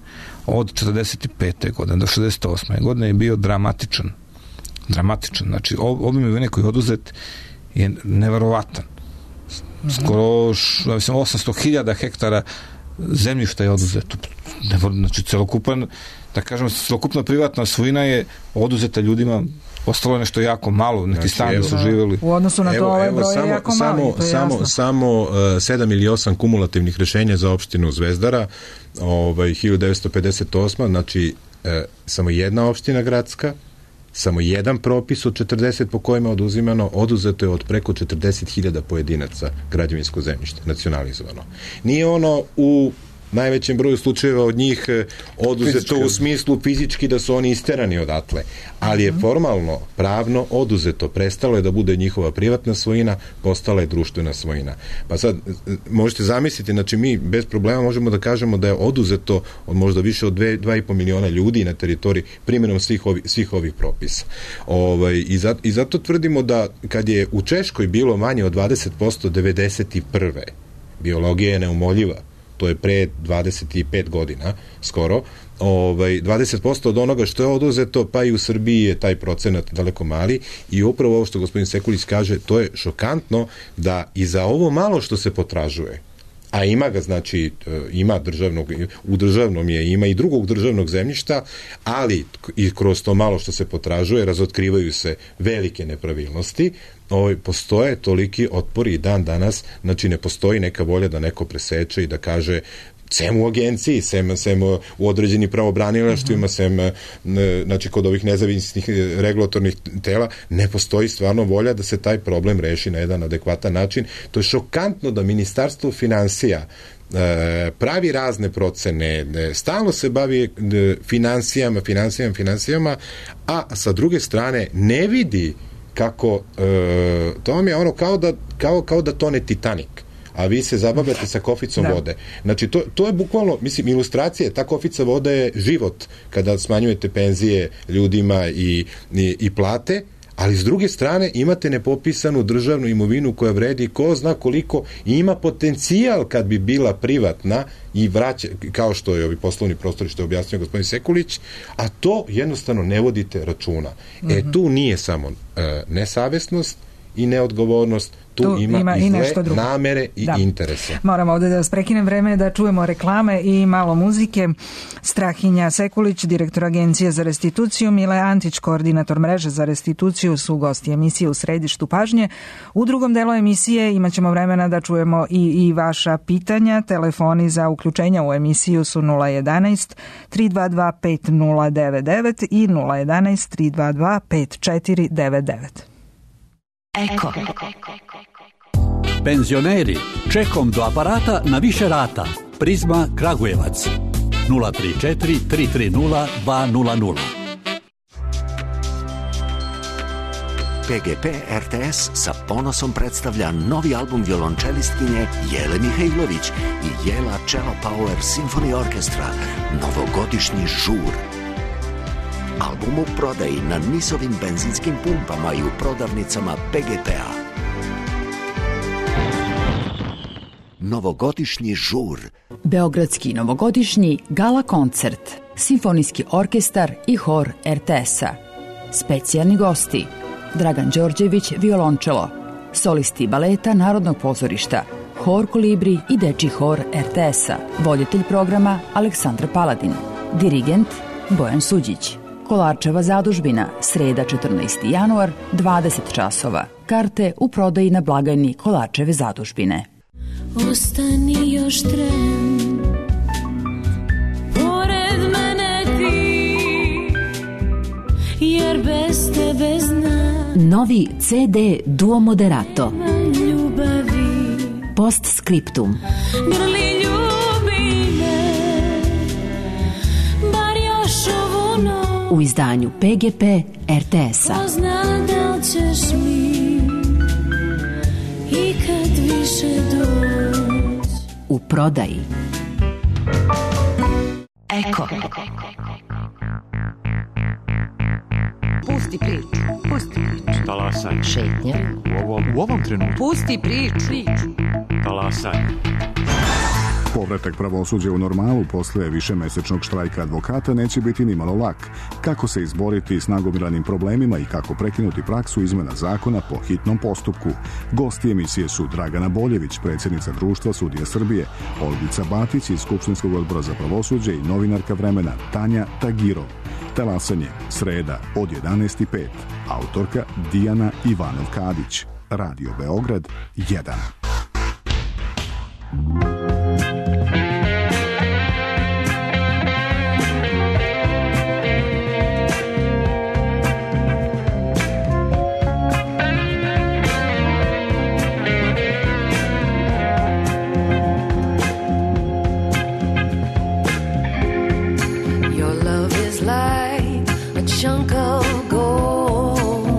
od četrdeset pete godine do šezdeset osme godine je bio dramatičan. Dramatičan. Znači, obim imovine koji je oduzet je neverovatan. Skoro mislim, osamsto hiljada hektara zemljišta je oduzeto. Znači, celokupan, da kažem, celokupna privatna svojina je oduzeta ljudima, ostalo je nešto jako malo, neki znači, stani su živjeli. U odnosu na to ovaj broj je jako samo, mali, to je samo, jasno. samo uh, sedam ili osam kumulativnih rešenja za opštinu Zvezdara, ovaj, hiljadu devetsto pedeset osme znači uh, samo jedna opština gradska, samo jedan propis od četrdeset po kojima je oduzimano, oduzeto je od preko četrdeset hiljada pojedinaca građevinsko zemljište, nacionalizovano. Nije ono u najvećem broju slučajeva od njih oduzeto fizički, u smislu fizički da su oni isterani odatle, ali je formalno, pravno oduzeto, prestalo je da bude njihova privatna svojina, postala je društvena svojina. Pa sad, možete zamisliti, znači mi bez problema možemo da kažemo da je oduzeto od možda više od dva i po miliona ljudi na teritoriji primjenom svih, ovi, svih ovih propisa. Ovaj, i, zato, I zato tvrdimo da kad je u Češkoj bilo manje od dvadeset posto devedeset prve biologija je neumoljiva, to je pre dvadeset pet godina skoro, ovaj, dvadeset posto od onoga što je oduzeto, pa i u Srbiji je taj procenat daleko mali i upravo ovo što gospodin Sekulić kaže, to je šokantno da i za ovo malo što se potražuje, a ima ga, znači, ima državnog, u državnom je, ima i drugog državnog zemljišta, ali i kroz to malo što se potražuje razotkrivaju se velike nepravilnosti, ovaj, postoje toliki otpori i dan danas, znači ne postoji neka volja da neko preseče i da kaže sem u agenciji, sem, sem u određenim pravobranilaštvima, sem znači kod ovih nezavisnih regulatornih tela, ne postoji stvarno volja da se taj problem reši na jedan adekvatan način. To je šokantno da Ministarstvo finansija pravi razne procene, stalno se bavi finansijama, finansijama, finansijama, a sa druge strane ne vidi kako, to vam je ono kao da, kao, kao da tone Titanik. a vi se zabavljate sa koficom da. vode. Znači, to, to je bukvalno, mislim, ilustracija, ta kofica vode je život kada smanjujete penzije ljudima i, i, i plate, ali s druge strane imate nepopisanu državnu imovinu koja vredi ko zna koliko i ima potencijal kad bi bila privatna i vraća, kao što je ovi poslovni prostori što je objasnio gospodin Sekulić, a to jednostavno ne vodite računa. Mm-hmm. E, tu nije samo e, nesavesnost i neodgovornost, tu, tu ima, ima i zle namere i da. interese. Moramo ovdje da vas prekinem, vreme da čujemo reklame i malo muzike. Strahinja Sekulić, direktor Agencije za restituciju, Mile Antić, koordinator mreže za restituciju, su gosti emisije U središtu pažnje. U drugom delu emisije imat ćemo vremena da čujemo i, i vaša pitanja. Telefoni za uključenja u emisiju su nula jedanaest tri dva dva pet nula devet devet i nula jedanaest tri dva dva pet četiri devet devet. Eko. Penzioneri, čekom do aparata na više rata. Prizma Kragujevac. nula tri četiri tri tri nula dva nula nula. P G P R T S sa ponosom predstavlja novi album violončelistkinje Jele Mihajlović i Jela Cello Power Symphony Orchestra, novogodišnji žur. Album u prodaji na Nisovim benzinskim pumpama i u prodavnicama P G P-a. Novogodišnji žur. Beogradski novogodišnji gala koncert, simfonijski orkestar i hor R T S-a. Specijalni gosti: Dragan Đorđević, violončelo, solisti baleta Narodnog pozorišta, hor Kolibri i dečji hor R T S-a. Voditelj programa Aleksandar Paladin, dirigent Bojan Suđić. Kolarčeva zadužbina, sreda četrnaesti januar, dvadeset časova. Karte u prodaji na blagajni Kolarčeve zadužbine. Ostani još tren, pored mene ti, jer bez tebe znam. Novi C D Duo Moderato. Ljubavi. Postscriptum. Grli ljubi me, bar još ovu noć. U izdanju P G P R T S-a. Ko zna da li ćeš mi i kad više doći. U prodaji. Eko. Pusti priču. Pusti priču. Talasaj. Šetnja. U ovom, u ovom trenutku. Pusti priču. Talasaj. Povratak pravosuđa u normalu posle višemesečnog štrajka advokata neće biti nimalo lak. Kako se izboriti s nagomilanim problemima i kako prekinuti praksu izmena zakona po hitnom postupku. Gosti emisije su Dragana Boljević, predsjednica Društva sudija Srbije, Olgica Batić iz Skupštinskog odbora za pravosuđe i novinarka Vremena Tanja Tagirov. Talasanje, sreda od jedanaest i pet. Autorka Dijana Ivanov-Kadić. Radio Beograd jedan. Chunk of gold,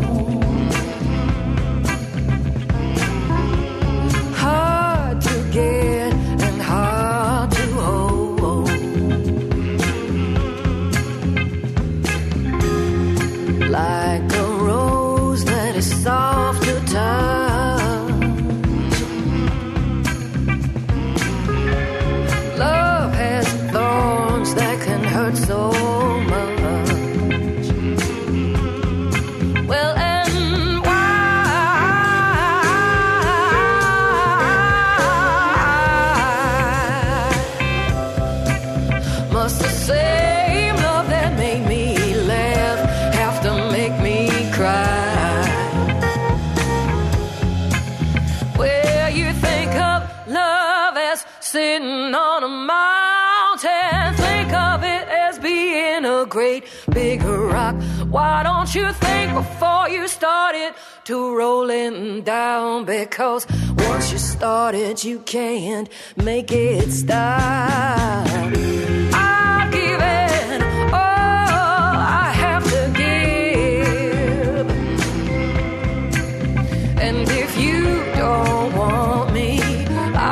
hard to get and hard to hold, like a rose that is soft to touch. Love has thorns that can hurt so much. Sitting on a mountain, think of it as being a great big rock. Why don't you think before you start it to rolling down? Because once you start it, you can't make it stop. I've given all I have to give, and if you don't want me, I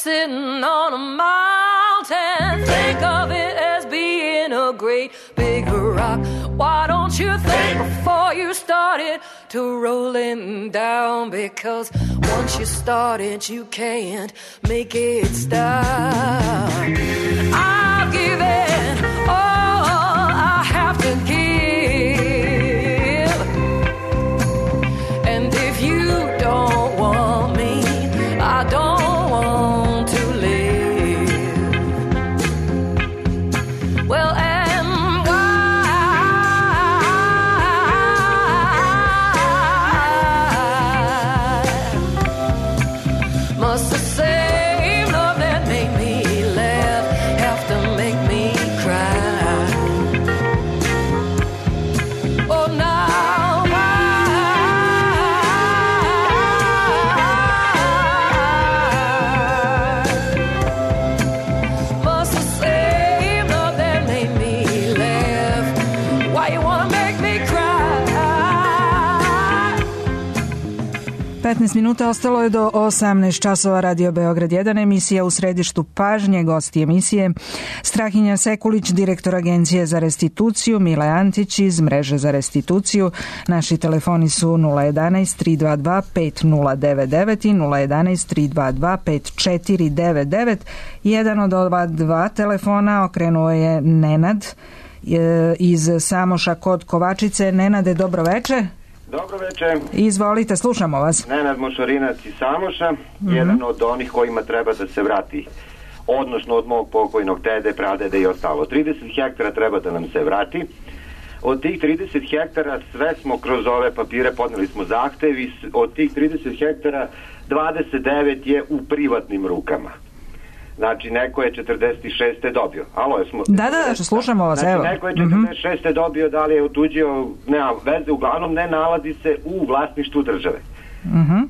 sitting on a mountain. Think of it as being a great big rock. Why don't you think before you started to rolling down? Because once you started, you can't make it stop. I've given all I have to give. And if you don't want me, I don't want to live. Well, and why must the same love that made me laugh have to make me cry? Oh, now must the same love that made me laugh? Why you wanna make me cry? petnaest minuta ostalo je do osamnaest časova. Radio Beograd jedan, emisija U središtu pažnje. Gosti emisije Strahinja Sekulić, direktor Agencije za restituciju, Mile Antić iz Mreže za restituciju. Naši telefoni su nula jedanaest tri dva dva pet nula devet devet i nula jedanaest tri dva dva pet četiri devet devet. Jedan od ova dva telefona okrenuo je Nenad e, iz Samoša kod Kovačice. Nenade, dobro veče. Dobro večer. Izvolite, slušamo vas. Nenad Mošorinac iz Samoša, mm-hmm. jedan od onih kojima treba da se vrati, odnosno od mog pokojnog dede, pradede i ostalo. trideset hektara treba da nam se vrati. Od tih trideset hektara sve smo kroz ove papire podneli smo zahtevi. Od tih trideset hektara dvadeset devet je u privatnim rukama. Znači, neko je četrdeset šeste dobio. Alo, smo... Da, da, da, slušamo vas, znači, evo. Neko je četrdeset šeste dobio, da li je otuđio, nema veze, uglavnom ne nalazi se u vlasništvu države. Uh-huh.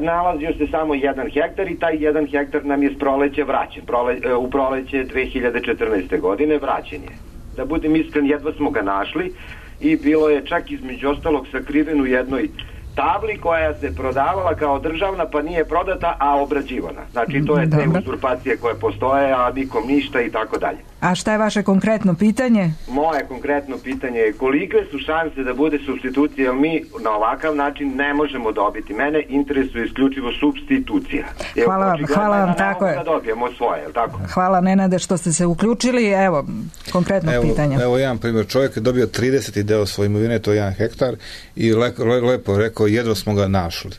Nalazio se samo jedan hektar i taj jedan hektar nam je s proleće vraćen. Prole, u proleće dve hiljade četrnaeste. godine vraćen je. Da budem iskren, jedva smo ga našli i bilo je čak između ostalog sakriven u jednoj tabli koja se prodavala kao državna, pa nije prodata, a obrađivana. Znači, to je te uzurpacije koje postoje, a nikom ništa i tako dalje. A šta je vaše konkretno pitanje? Moje konkretno pitanje je kolike su šanse da bude supstitucija, jer mi na ovakav način ne možemo dobiti. Mene interesuje isključivo supstitucija. Hvala vam, hvala vam, tako je. Da dobijemo svoje, je tako? Hvala, Nenade, što ste se uključili. Evo, konkretno evo, pitanje. Evo jedan primjer, čovjek je dobio trideset deo svoje imovine, to je jedan hektar, i le, le, lepo rekao, jedva smo ga našli.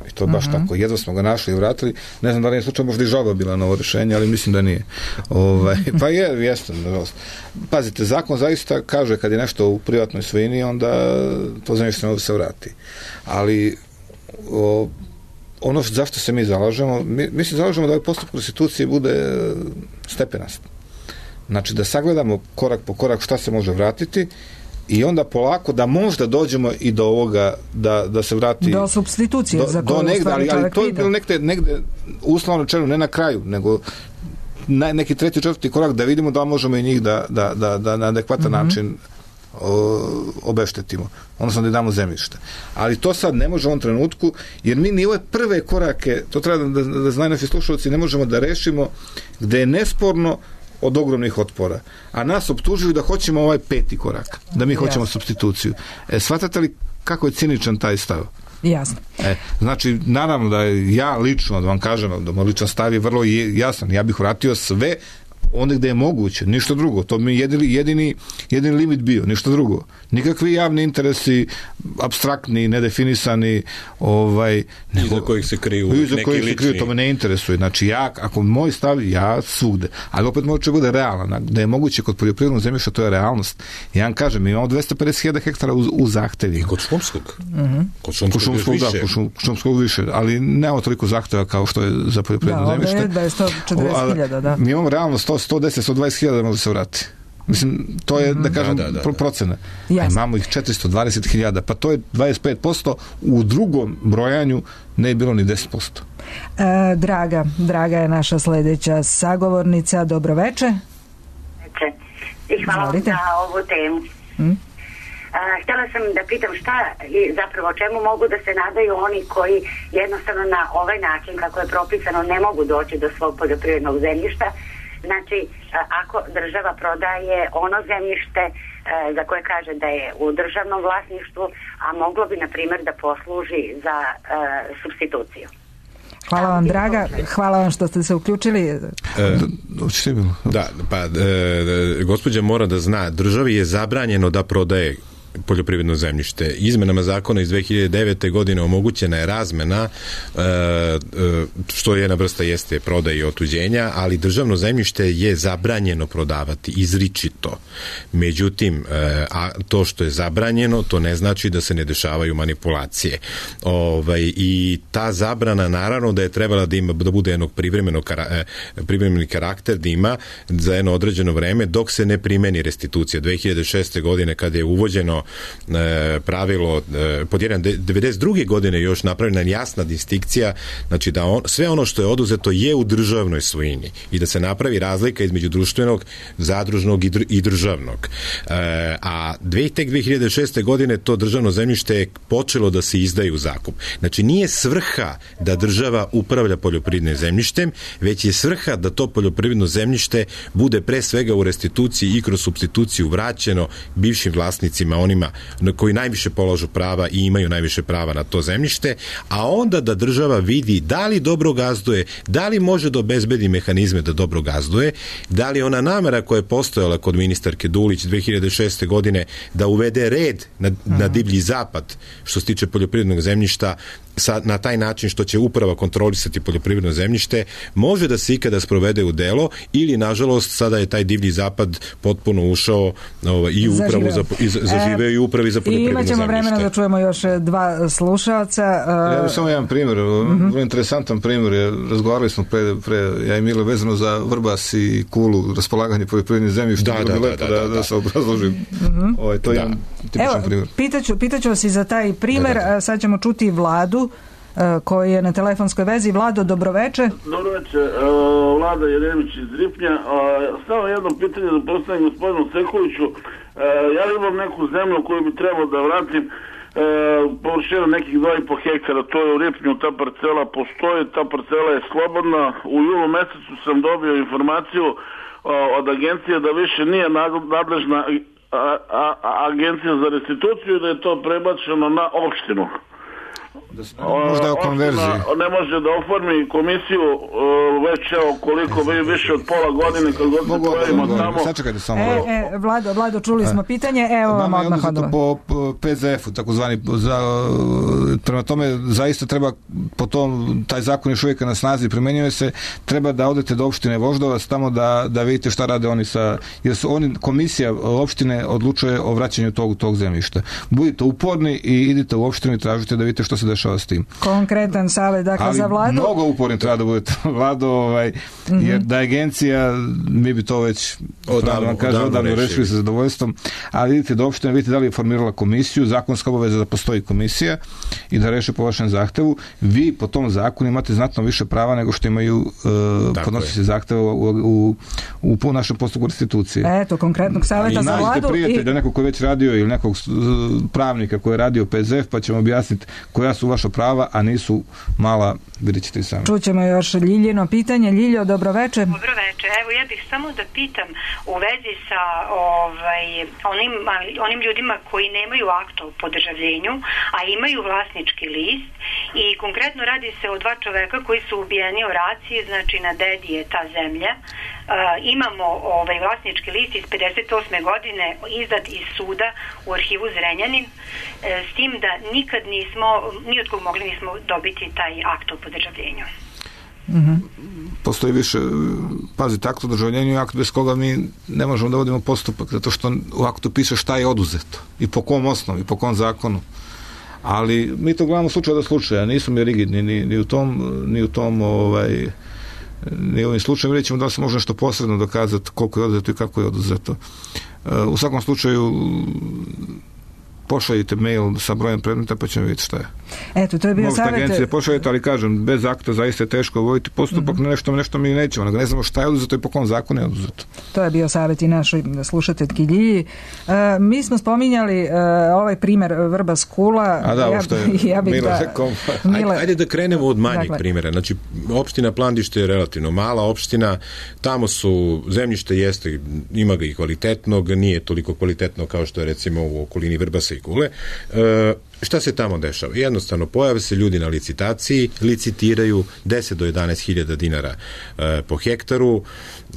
I to baš uh-huh. tako, jedva smo ga našli i vratili. Ne znam da li je slučaj, možda i žalba bila na ovo rješenje, ali mislim da nije. Ovaj, pa je, jeste, nažalost. Pazite, zakon zaista kaže kad je nešto u privatnoj svojini, onda to zemljište ne se vrati. Ali o, ono zašto se mi zalažemo, mi, mi se zalažemo da ovaj postupak restitucije bude stepenast. Znači da sagledamo korak po korak šta se može vratiti i onda polako da možda dođemo i do ovoga da, da se vrati do supstitucije do, za koju do negde, ali, ali to je bilo negde, negde uslovno rečeno, ne na kraju, nego na, neki treći, četvrti korak da vidimo da možemo i njih da, da, da, da na adekvatan mm-hmm. način o, obeštetimo, odnosno da damo zemljište. Ali to sad ne može u ovom trenutku, jer mi ni ove prve korake, to treba da, da, da znaju naši slušalci, ne možemo da rešimo gde je nesporno od ogromnih otpora. A nas optužuju da hoćemo ovaj peti korak, da mi hoćemo Jasne. supstituciju. E, shvatate li kako je ciničan taj stav? Jasno. E, znači, naravno da ja lično, da vam kažem, da moj ličan stav je vrlo jasan. Ja bih vratio sve onda gde je moguće, ništa drugo. To mi je jedini, jedini, jedini limit bio, ništa drugo. Nikakvi javni interesi, apstraktni, nedefinisani, ovaj, nego, iza kojih se kriju iza neki kojih se kriju, to me ne interesuje. Znači, ja, ako moj stav, ja svugde. Ali opet može bude realan. Da je moguće kod poljoprivrednog zemljišta, to je realnost. Ja vam kažem, mi imamo dvesta pedeset hiljada hektara u, u zahtevi. I kod šumskog. Uh-huh. Kod šumskog, kod šumskog, da, kod šumskog više. Ali nemamo toliko zahteva kao što je za poljoprivredno da, zemljište. Da, je sto četrdeset hiljada, da. Mi imamo realno sto, sto deset, sto dvadeset hiljada da može se vrati. Mislim, to je, da kažem, da, da, da, da. procena. A imamo ih četiristo dvadeset hiljada, pa to je dvadeset pet posto, u drugom brojanju ne je bilo ni deset posto. E, Draga, Draga je naša sledeća sagovornica. Dobro veče. Veče. I hvala Zvolite. Za ovu temu. Hmm? htjela sam da pitam šta i zapravo čemu mogu da se nadaju oni koji jednostavno na ovaj način kako je propisano ne mogu doći do svog poljoprivrednog zemljišta. Znači, ako država prodaje ono zemljište za koje kaže da je u državnom vlasništvu, a moglo bi, na primjer, da posluži za uh, supstituciju. Hvala vam, draga. Hvala vam što ste se uključili. E, da, pa e, gospođa mora da zna, državi je zabranjeno da prodaje poljoprivredno zemljište. Izmenama zakona iz dve hiljade devete. godine omogućena je razmena, što je jedna vrsta jeste prodaje i otuđenja, ali državno zemljište je zabranjeno prodavati izričito. Međutim, a to što je zabranjeno, to ne znači da se ne dešavaju manipulacije. Ovaj, i ta zabrana naravno da je trebala da ima, da bude jednog privremenog privremeni karakter, da ima za jedno određeno vreme dok se ne primeni restitucija. dve hiljade šeste. godine kada je uvođeno pravilo pod jedan devedeset druge. godine još napravljena jasna distinkcija, znači da on, sve ono što je oduzeto je u državnoj svojini i da se napravi razlika između društvenog, zadružnog i, dr, i državnog. E, a dve, tek dve hiljade šeste. godine to državno zemljište je počelo da se izdaje u zakup. Znači nije svrha da država upravlja poljoprivrednim zemljištem, već je svrha da to poljoprivredno zemljište bude pre svega u restituciji i kroz supstituciju vraćeno bivšim vlasnicima, onima koji najviše polažu prava i imaju najviše prava na to zemljište, a onda da država vidi da li dobro gazduje, da li može da obezbedi mehanizme da dobro gazduje, da li ona namera koja je postojala kod ministarke Dulić dve hiljade šeste. godine da uvede red na, na divlji zapad što se tiče poljoprivrednog zemljišta sa, na taj način što će uprava kontrolisati poljoprivredno zemljište, može da se ikada sprovede u delo ili, nažalost, sada je taj divlji zapad potpuno ušao ovaj, i u upravu za, i zaživeo e, i upravi za poljoprivredno zemljište. I imat ćemo vremena da čujemo još dva slušalca. Uh... Ja bih samo jedan primjer, uh-huh. vrlo interesantan primjer. Ja, razgovarali smo pre, pre, ja i Milo, vezano za Vrbas i Kulu, raspolaganje poljoprivrednim zemljištem. Da, da, da, da, da, da, da se obrazložim. Uh-huh. Ovaj, to je da. jedan tipičan Evo, primjer. Pitaću, pitaću vas i za taj primjer, da, da. Sad ćemo čuti Vladu koji je na telefonskoj vezi. Vlado, dobroveče. Dobroveče, Vlada Jeremić iz Ripnja. Samo jedno pitanje da postavim gospodinu Sekuliću. Ja imam neku zemlju koju bi trebao da vratim, površina nekih dva i po hektara, to je u Ripnju, ta parcela postoji, ta parcela je slobodna. U julu mesecu sam dobio informaciju od agencije da više nije nadležna agencija za restituciju, da je to prebačeno na opštinu. Možda je o konverziji. Ne može da oformi komisiju već evo koliko bi više od pola godine kad god se pojavimo tamo. Sačekajte samo. E, e, Vlado, Vlado, čuli smo pitanje, evo vam odmah odgovor. Po, po P Z F-u, takozvani, za, prema tome zaista treba po tom, taj zakon još uvijek na snazi primenjuje se, treba da odete do opštine Voždovac tamo da, da vidite šta rade oni sa, jer su oni, komisija opštine odlučuje o vraćanju tog, tog zemljišta. Budite uporni i idite u opštinu i tražite da vidite što se dešava s tim. Konkretan savjet, dakle, ali za Vladu. Mnogo uporni treba da budete Vlado, ovaj, mm-hmm. jer da agencija, mi bi to već odavno, vam kaže, odavno rešili sa zadovoljstvom, ali vidite do opštine, vidite da li je formirala komisiju, zakonska obaveza da postoji komisija i da reše po vašem zahtevu. Vi po tom zakonu imate znatno više prava nego što imaju uh, podnosioci zahteva u, u, u, u našem postupku restitucije. Eto, konkretnog savjeta za Vladu. Prijatelja, i... nekog koji već radio ili nekog pravnika koji je radio P Z F, pa ćemo objasniti koja su vaša prava, a nisu mala, vidjet ćete i sami. Čućemo još Ljiljino pitanje. Ljiljo, dobroveče. Dobroveče. Evo, ja bih samo da pitam u vezi sa ovaj, onim, onim ljudima koji nemaju akt o podržavljenju, a imaju vlasnički list i konkretno radi se o dva čoveka koji su ubijeni u raciji, znači na dedi je ta zemlja. Uh, imamo ovaj vlasnički list iz pedeset osme godine izdat iz suda u arhivu Zrenjanin, uh, s tim da nikad nismo, ni od kog mogli nismo dobiti taj akt o podržavljenju. Mm-hmm. Postoji više, pazite, akt o državljenju je akt bez koga mi ne možemo da vodimo postupak, zato što u aktu piše šta je oduzeto i po kom osnovu i po kom zakonu. Ali mi to gledamo slučaja do slučaja, nismo mi rigidni ni, ni u tom, ni u tom ovaj, ni u ovim slučajima, vidjet ćemo da li se može nešto posredno dokazati koliko je oduzeto i kako je oduzeto. U svakom slučaju pošaljite mail sa brojem predmeta pa ćemo vidjeti šta je. Eto, to je bio Možete savjet. agencije pošaljete, ali kažem, bez akta zaista je teško voditi postupak, mm-hmm. nešto, nešto mi nećemo, ne znamo šta je oduzeto i po kom zakonu je oduzeto. To je bio savjet i našoj slušateljki Ljilji. E, mi smo spominjali e, ovaj primjer Vrbas Kula. A da, ovo što je ja, ja Mila da, rekao. Ajde, ajde da krenemo od manjeg dakle. primjera. Znači, opština Plandište je relativno mala opština, tamo su, zemljište jeste, ima ga i kvalitetnog, nije toliko kvalitetno kao što je recimo u okolini Vrbasa i Kule. E, šta se tamo dešava? Jednostavno, pojave se ljudi na licitaciji, licitiraju deset do jedanaest hiljada dinara e, po hektaru,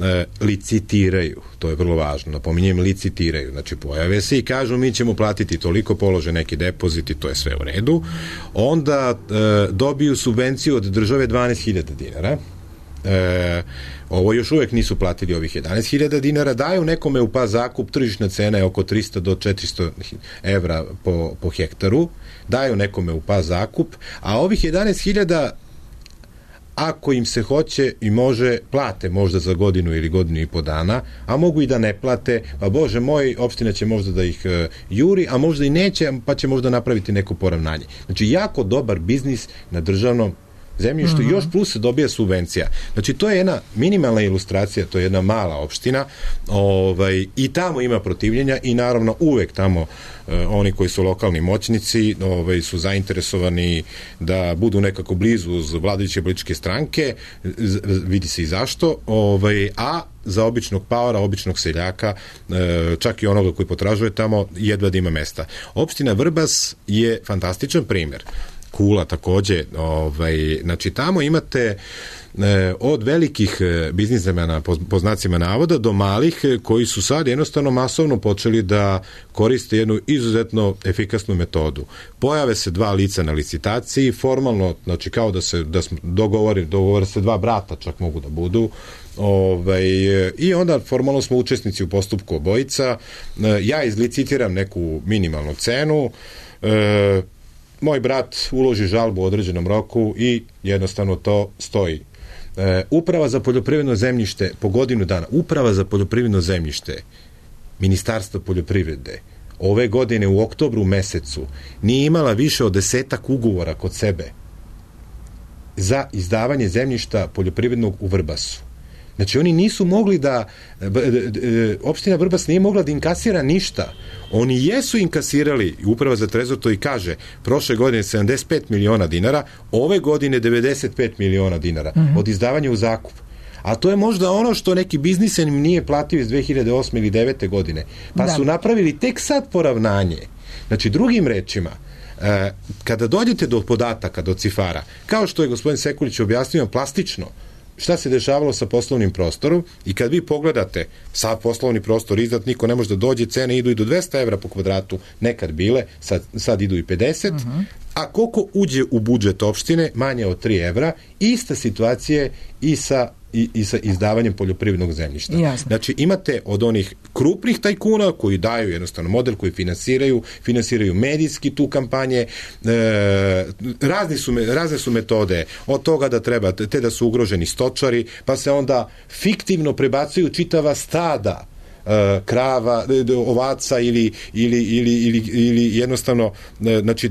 e, licitiraju, to je vrlo važno, napominjem, licitiraju, znači pojave se i kažu mi ćemo platiti toliko, polože neki depozit i to je sve u redu, onda e, dobiju subvenciju od države dvanaest hiljada dinara. E, ovo još uvek nisu platili ovih jedanaest hiljada dinara, daju nekome u pas zakup, tržišna cena je oko tristo do četiristo evra po, po hektaru, daju nekome u pas zakup, a ovih jedanaest hiljada ako im se hoće i može, plate možda za godinu ili godinu i po dana, a mogu i da ne plate, pa bože moj, opština će možda da ih uh, juri, a možda i neće, pa će možda napraviti neko poravnanje. Znači, jako dobar biznis na državnom zemljištu, mm-hmm. još plus se dobija subvencija. Znači, to je jedna minimalna ilustracija, to je jedna mala opština, ovaj, i tamo ima protivljenja i naravno uvek tamo eh, oni koji su lokalni moćnici ovaj, su zainteresovani da budu nekako blizu uz vladajuće političke stranke, z, vidi se i zašto, ovaj, a za običnog paora, običnog seljaka, eh, čak i onoga koji potražuje tamo, jedva da ima mesta. Opština Vrbas je fantastičan primjer. Kula takođe, ovaj, znači tamo imate e, od velikih e, biznismena po, po znacima navoda do malih e, koji su sad jednostavno masovno počeli da koriste jednu izuzetno efikasnu metodu. Pojave se dva lica na licitaciji, formalno, znači kao da se da smo dogovori, dogovore se dva brata čak mogu da budu, ovaj, i onda formalno smo učesnici u postupku obojica, e, ja izlicitiram neku minimalnu cenu, e, moj brat uloži žalbu u određenom roku i jednostavno to stoji. E, uprava za poljoprivredno zemljište po godinu dana, uprava za poljoprivredno zemljište Ministarstva poljoprivrede ove godine u oktobru mesecu nije imala više od desetak ugovora kod sebe za izdavanje zemljišta poljoprivrednog u Vrbasu. Znači, oni nisu mogli da, opština Vrbas nije mogla da inkasira ništa. Oni jesu inkasirali, uprava za trezor to i kaže, prošle godine sedamdeset pet miliona dinara, ove godine devedeset pet miliona dinara mm-hmm. od izdavanja u zakup. A to je možda ono što neki biznisen im nije platio iz dve hiljade osme ili devete godine. Pa da. Su napravili tek sad poravnanje. Znači, drugim rečima, eh, kada dođete do podataka, do cifara, kao što je gospodin Sekulić objasnio plastično, šta se dešavalo sa poslovnim prostorom i kad vi pogledate sav poslovni prostor izdat, niko ne može da dođe, cene idu i do dvesta evra po kvadratu, nekad bile, sad, sad idu i pedeset, uh-huh. a koliko uđe u budžet opštine, manje od tri evra, ista situacija je i sa I, i sa izdavanjem poljoprivrednog zemljišta. Jasne. Znači, imate od onih krupnih tajkuna koji daju jednostavno model, koji finansiraju, finansiraju medijski tu kampanje, e, razni su, razne su metode od toga da treba, te da su ugroženi stočari, pa se onda fiktivno prebacuju čitava stada e, krava, ovaca ili, ili, ili, ili, ili jednostavno, e, znači,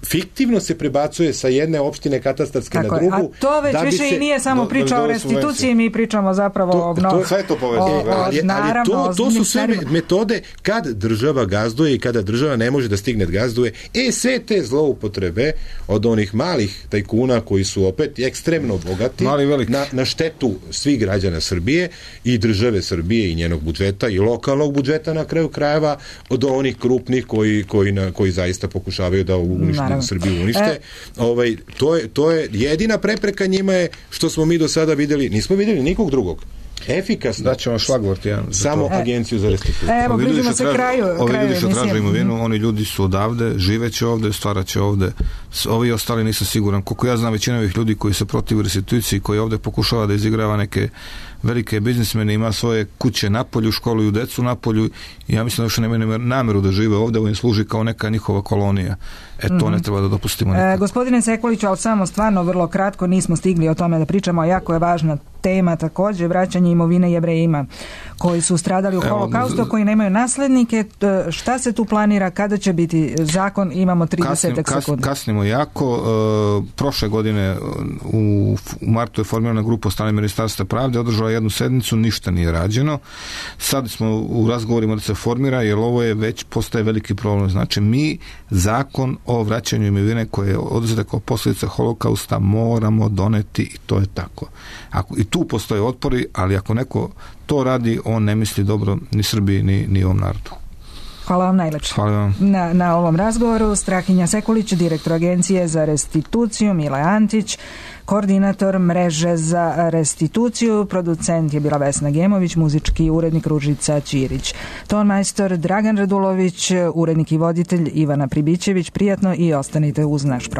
fiktivno se prebacuje sa jedne opštine katastarske tako na drugu. A to već više se, i nije samo do, priča do, do, o restituciji, mi pričamo zapravo to, o obnovu. To, sve to povezano. Ali, ali to, to su sve metode kad država gazduje i kada država ne može da stigne da gazduje. E, sve te zloupotrebe od onih malih tajkuna koji su opet ekstremno bogati na, na štetu svih građana Srbije i države Srbije i njenog budžeta i lokalnog budžeta na kraju krajeva od onih krupnih koji, koji, na, koji zaista pokušavaju da unište Srbiju unište. E, ovaj, to, je, to je jedina prepreka njima je što smo mi do sada videli, nismo videli nikog drugog. Efikasno. Daćemo šlagvort jedan. Samo to. Agenciju za restituciju. Evo, bližimo se kraju. Ovi kraju ljudi što traže imovinu, mm. oni ljudi su odavde, živeće ovde, stvaraće ovde. Ovi ostali nisam siguran. Koliko ja znam, većina ovih ljudi koji se protiv restituciji, koji ovde pokušava da izigrava neke velike biznismene, ima svoje kuće na polju, školuju decu na polju i ja mislim da još nemaju nameru da žive ovde, ovo im služi kao neka njihova kolonija. E to mm-hmm. ne treba da dopustimo nikad. E, gospodine Sekuliću, ali samo stvarno vrlo kratko, nismo stigli o tome da pričamo, jako je važna tema također, vraćanje imovine Jevrejima koji su stradali u holokaustu, koji nemaju naslednike. Šta se tu planira, kada će biti zakon? Imamo trideset sekundi. Kasnimo jako. E, prošle godine u, u martu je formirana grupa od strane Ministarstva pravde, održala jednu sednicu, ništa nije rađeno. Sad smo u razgovorima da se formira, jer ovo je već postaje veliki problem. Znači, mi zakon o vraćanju imovine koje je oduzeta kao posljedica holokausta moramo doneti i to je tako. Ako, i tu postoje otpori, ali ako neko to radi, on ne misli dobro ni Srbiji, ni, ni ovom narodu. Hvala vam najlepše. Hvala vam. Na, na ovom razgovoru Strahinja Sekulić, direktor Agencije za restituciju, Mile Antić, koordinator mreže za restituciju, producent je bila Vesna Gemović, muzički urednik Ružica Ćirić, tonmajstor Dragan Radulović, urednik i voditelj Ivana Pribićević. Prijatno i ostanite uz naš program.